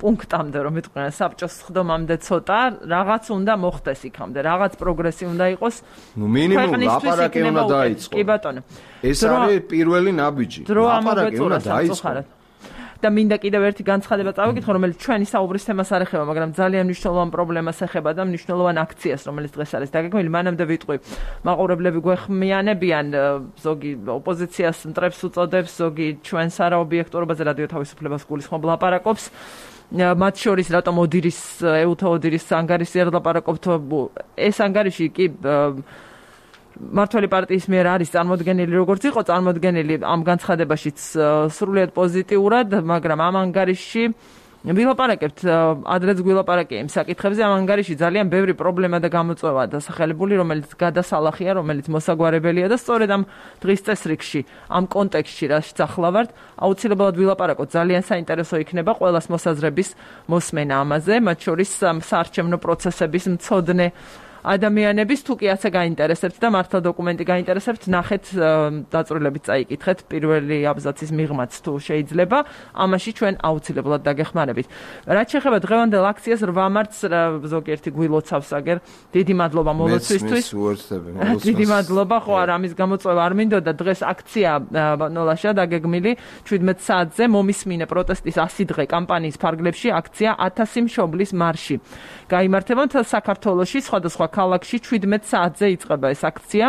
პუნქტამდე რომ მეთქვია საბჭოს ხდომამდე ცოტა რაღაც უნდა მოხდეს იქამდე, რაღაც პროგრესი უნდა იყოს. ნუ მინიმუმ ლაპარაკი უნდა დაიწყო. კი ბატონო. ეს არის პირველი ნაბიჯი. ლაპარაკი უნდა დაიწყო. და მინდა კიდევ ერთი განცხადება წავიკითხო, რომელიც ჩვენი საუბრის თემას არ ეხება, მაგრამ ძალიან მნიშვნელოვან პრობლემას ეხება და მნიშვნელოვან აქციას, რომელიც დღეს არის დაგეგმილი. მანამდე ვიტყვი, მაყურებლები გვეხმიანებიან, ზოგი ოპოზიციას მტრებს უწოდებს, ზოგი ჩვენს არაობიექტურობაზე რადიო თავისუფლებას გულისხმობ ლაპარაკობს. მათ შორის რატომ ოდირის ეუთო ოდირის ანგარიში არ ლაპარაკობთ? ეს ანგარიში კი მართველი პარტიის მიერ არის წარმოდგენილი როგორც იყო წარმოდგენილი ამ განცხადებაშიც სრულიად პოზიტიურად, მაგრამ ამ ანგარიშში ვილაპარაკებთ, ადრეც გვილაპარაკე იმ საკითხებზე, ამ ანგარიში ძალიან ბევრი პრობლემა და გამოწვევა დასახელებული, რომელიც გადასალახია, რომელიც მოსაგვარებელია და სწორედ ამ დღის წესრიგში, ამ კონტექსტში, რასაც ახლა ვართ, აუცილებლად ვილაპარაკოთ, ძალიან საინტერესო იქნება ყველას მოსაზრების მოსმენა ამაზე, მათ შორის საარჩევნო პროცესების მცოდნე ადამიანების თუ კი ასე გაინტერესებთ და მართლა დოკუმენტი გაინტერესებთ, ნახეთ დაწვრილებით წაიკითხეთ პირველი აბზაცის მიღმაც თუ შეიძლება, ამაში ჩვენ აუცილებლად დაგეხმარებით. რაც შეეხება დღევანდელ აქციას რვა მარტს ზოგიერთი გვილოცავს აგერ, დიდი მადლობა მოლოცვისთვის. დიდი მადლობა, ხო არა, ამის გამოწვევა არ მინდოდა, დღეს აქცია ნოლაშა დაგეგმილი შვიდმეტ საათზე მომისმინე პროტესტის ასი დღე კამპანიის ფარგლებში აქცია ათასი მშობლის მარში. გაიმართება საქართველოში სხვადასხვა ქალაქში შვიდმეტ საათზე იწყება ეს აქცია.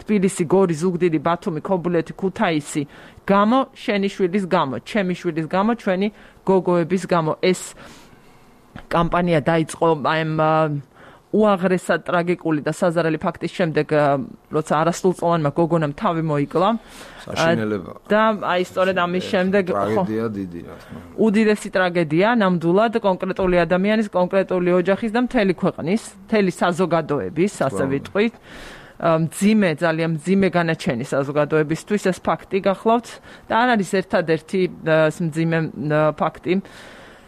თბილისი, გორი, ზუგდიდი, ბათუმი, ქობულეთი, ქუთაისი. გამო შენი შვილის გამო, ჩემი შვილის გამო, ჩვენი გოგოების გამო. ეს კამპანია დაიწყო ამ უაღრესად ტრაგიკული და საზარელი ფაქტის შემდეგ, როცა არასრულწლოვანმა გოგონამ თავი მოიკლა. საშინელება. და აი სწორედ ამის შემდეგ ტრაგედია დიდი რა თქმა უნდა. უდიდესი ტრაგედია ნამდვილად კონკრეტული ადამიანის, კონკრეტული ოჯახის და მთელი ქვეყნის, მთელი საზოგადოების, ასე ვიტყვით. მძიმე, ძალიან მძიმე განაჩენი საზოგადოებისთვის ეს ფაქტი გახლავთ და არ არის ერთადერთი მძიმე ფაქტი.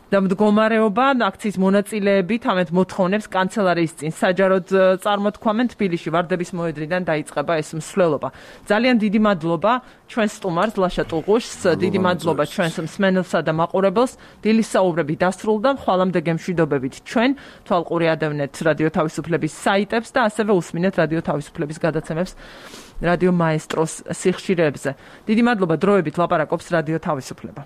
და მდგომარეობა აქციის მონაწილეები თამეთ მოთხოვნებს კანცელარიის წინ საჯაროდ წარმოთქვამენ თბილისში ვარდების მოედნიდან დაიწყება ეს მსვლელობა. ძალიან დიდი მადლობა ჩვენს სტუმარს ლაშა ტუღუშს, დიდი მადლობა ჩვენს მსმენელსა და მაყურებელს. დილის საუბრები დასრულდა, ხვალამდე გემშვიდობებით ჩვენ თვალყური ადევნეთ რადიო თავისუფლების საიტებს და ასევე უსმინეთ რადიო თავისუფლების გადაცემებს რადიო მაესტროს სიხშირეებზე. დიდი მადლობა, დროებით ლაპარაკობს რადიო თავისუფლება.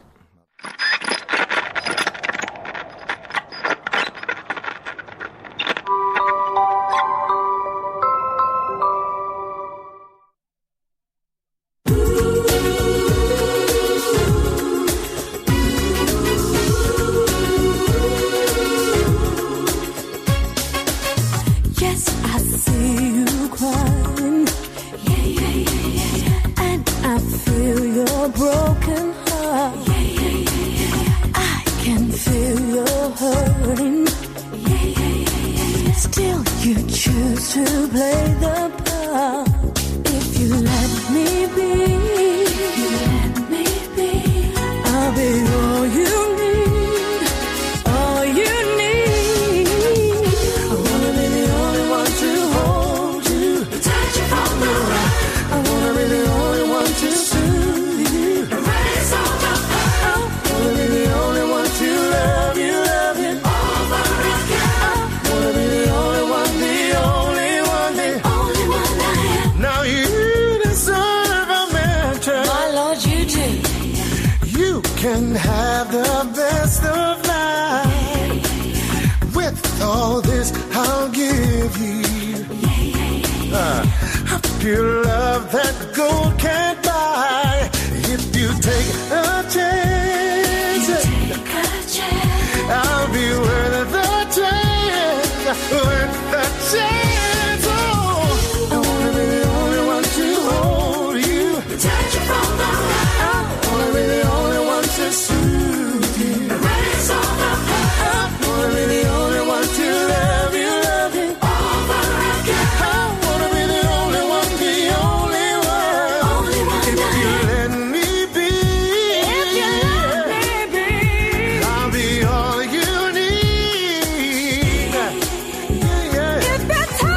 If that's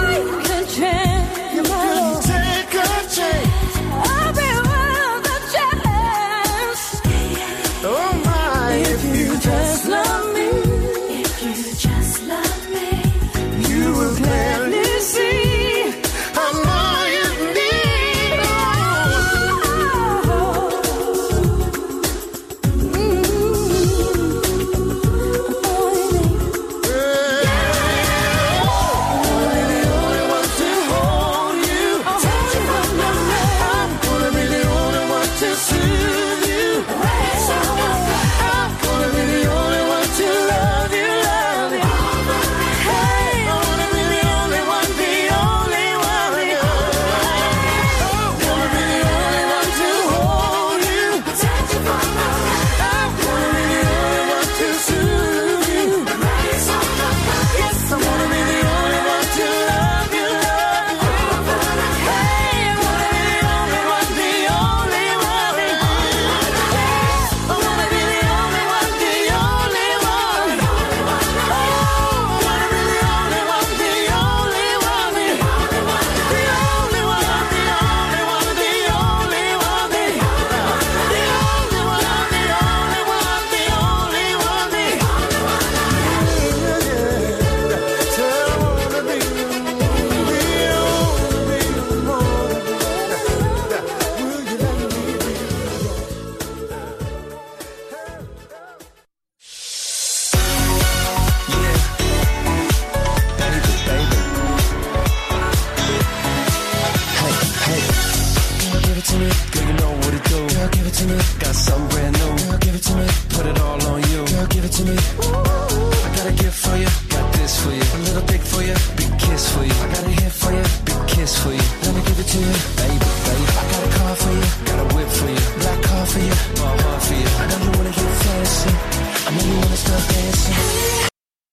Got some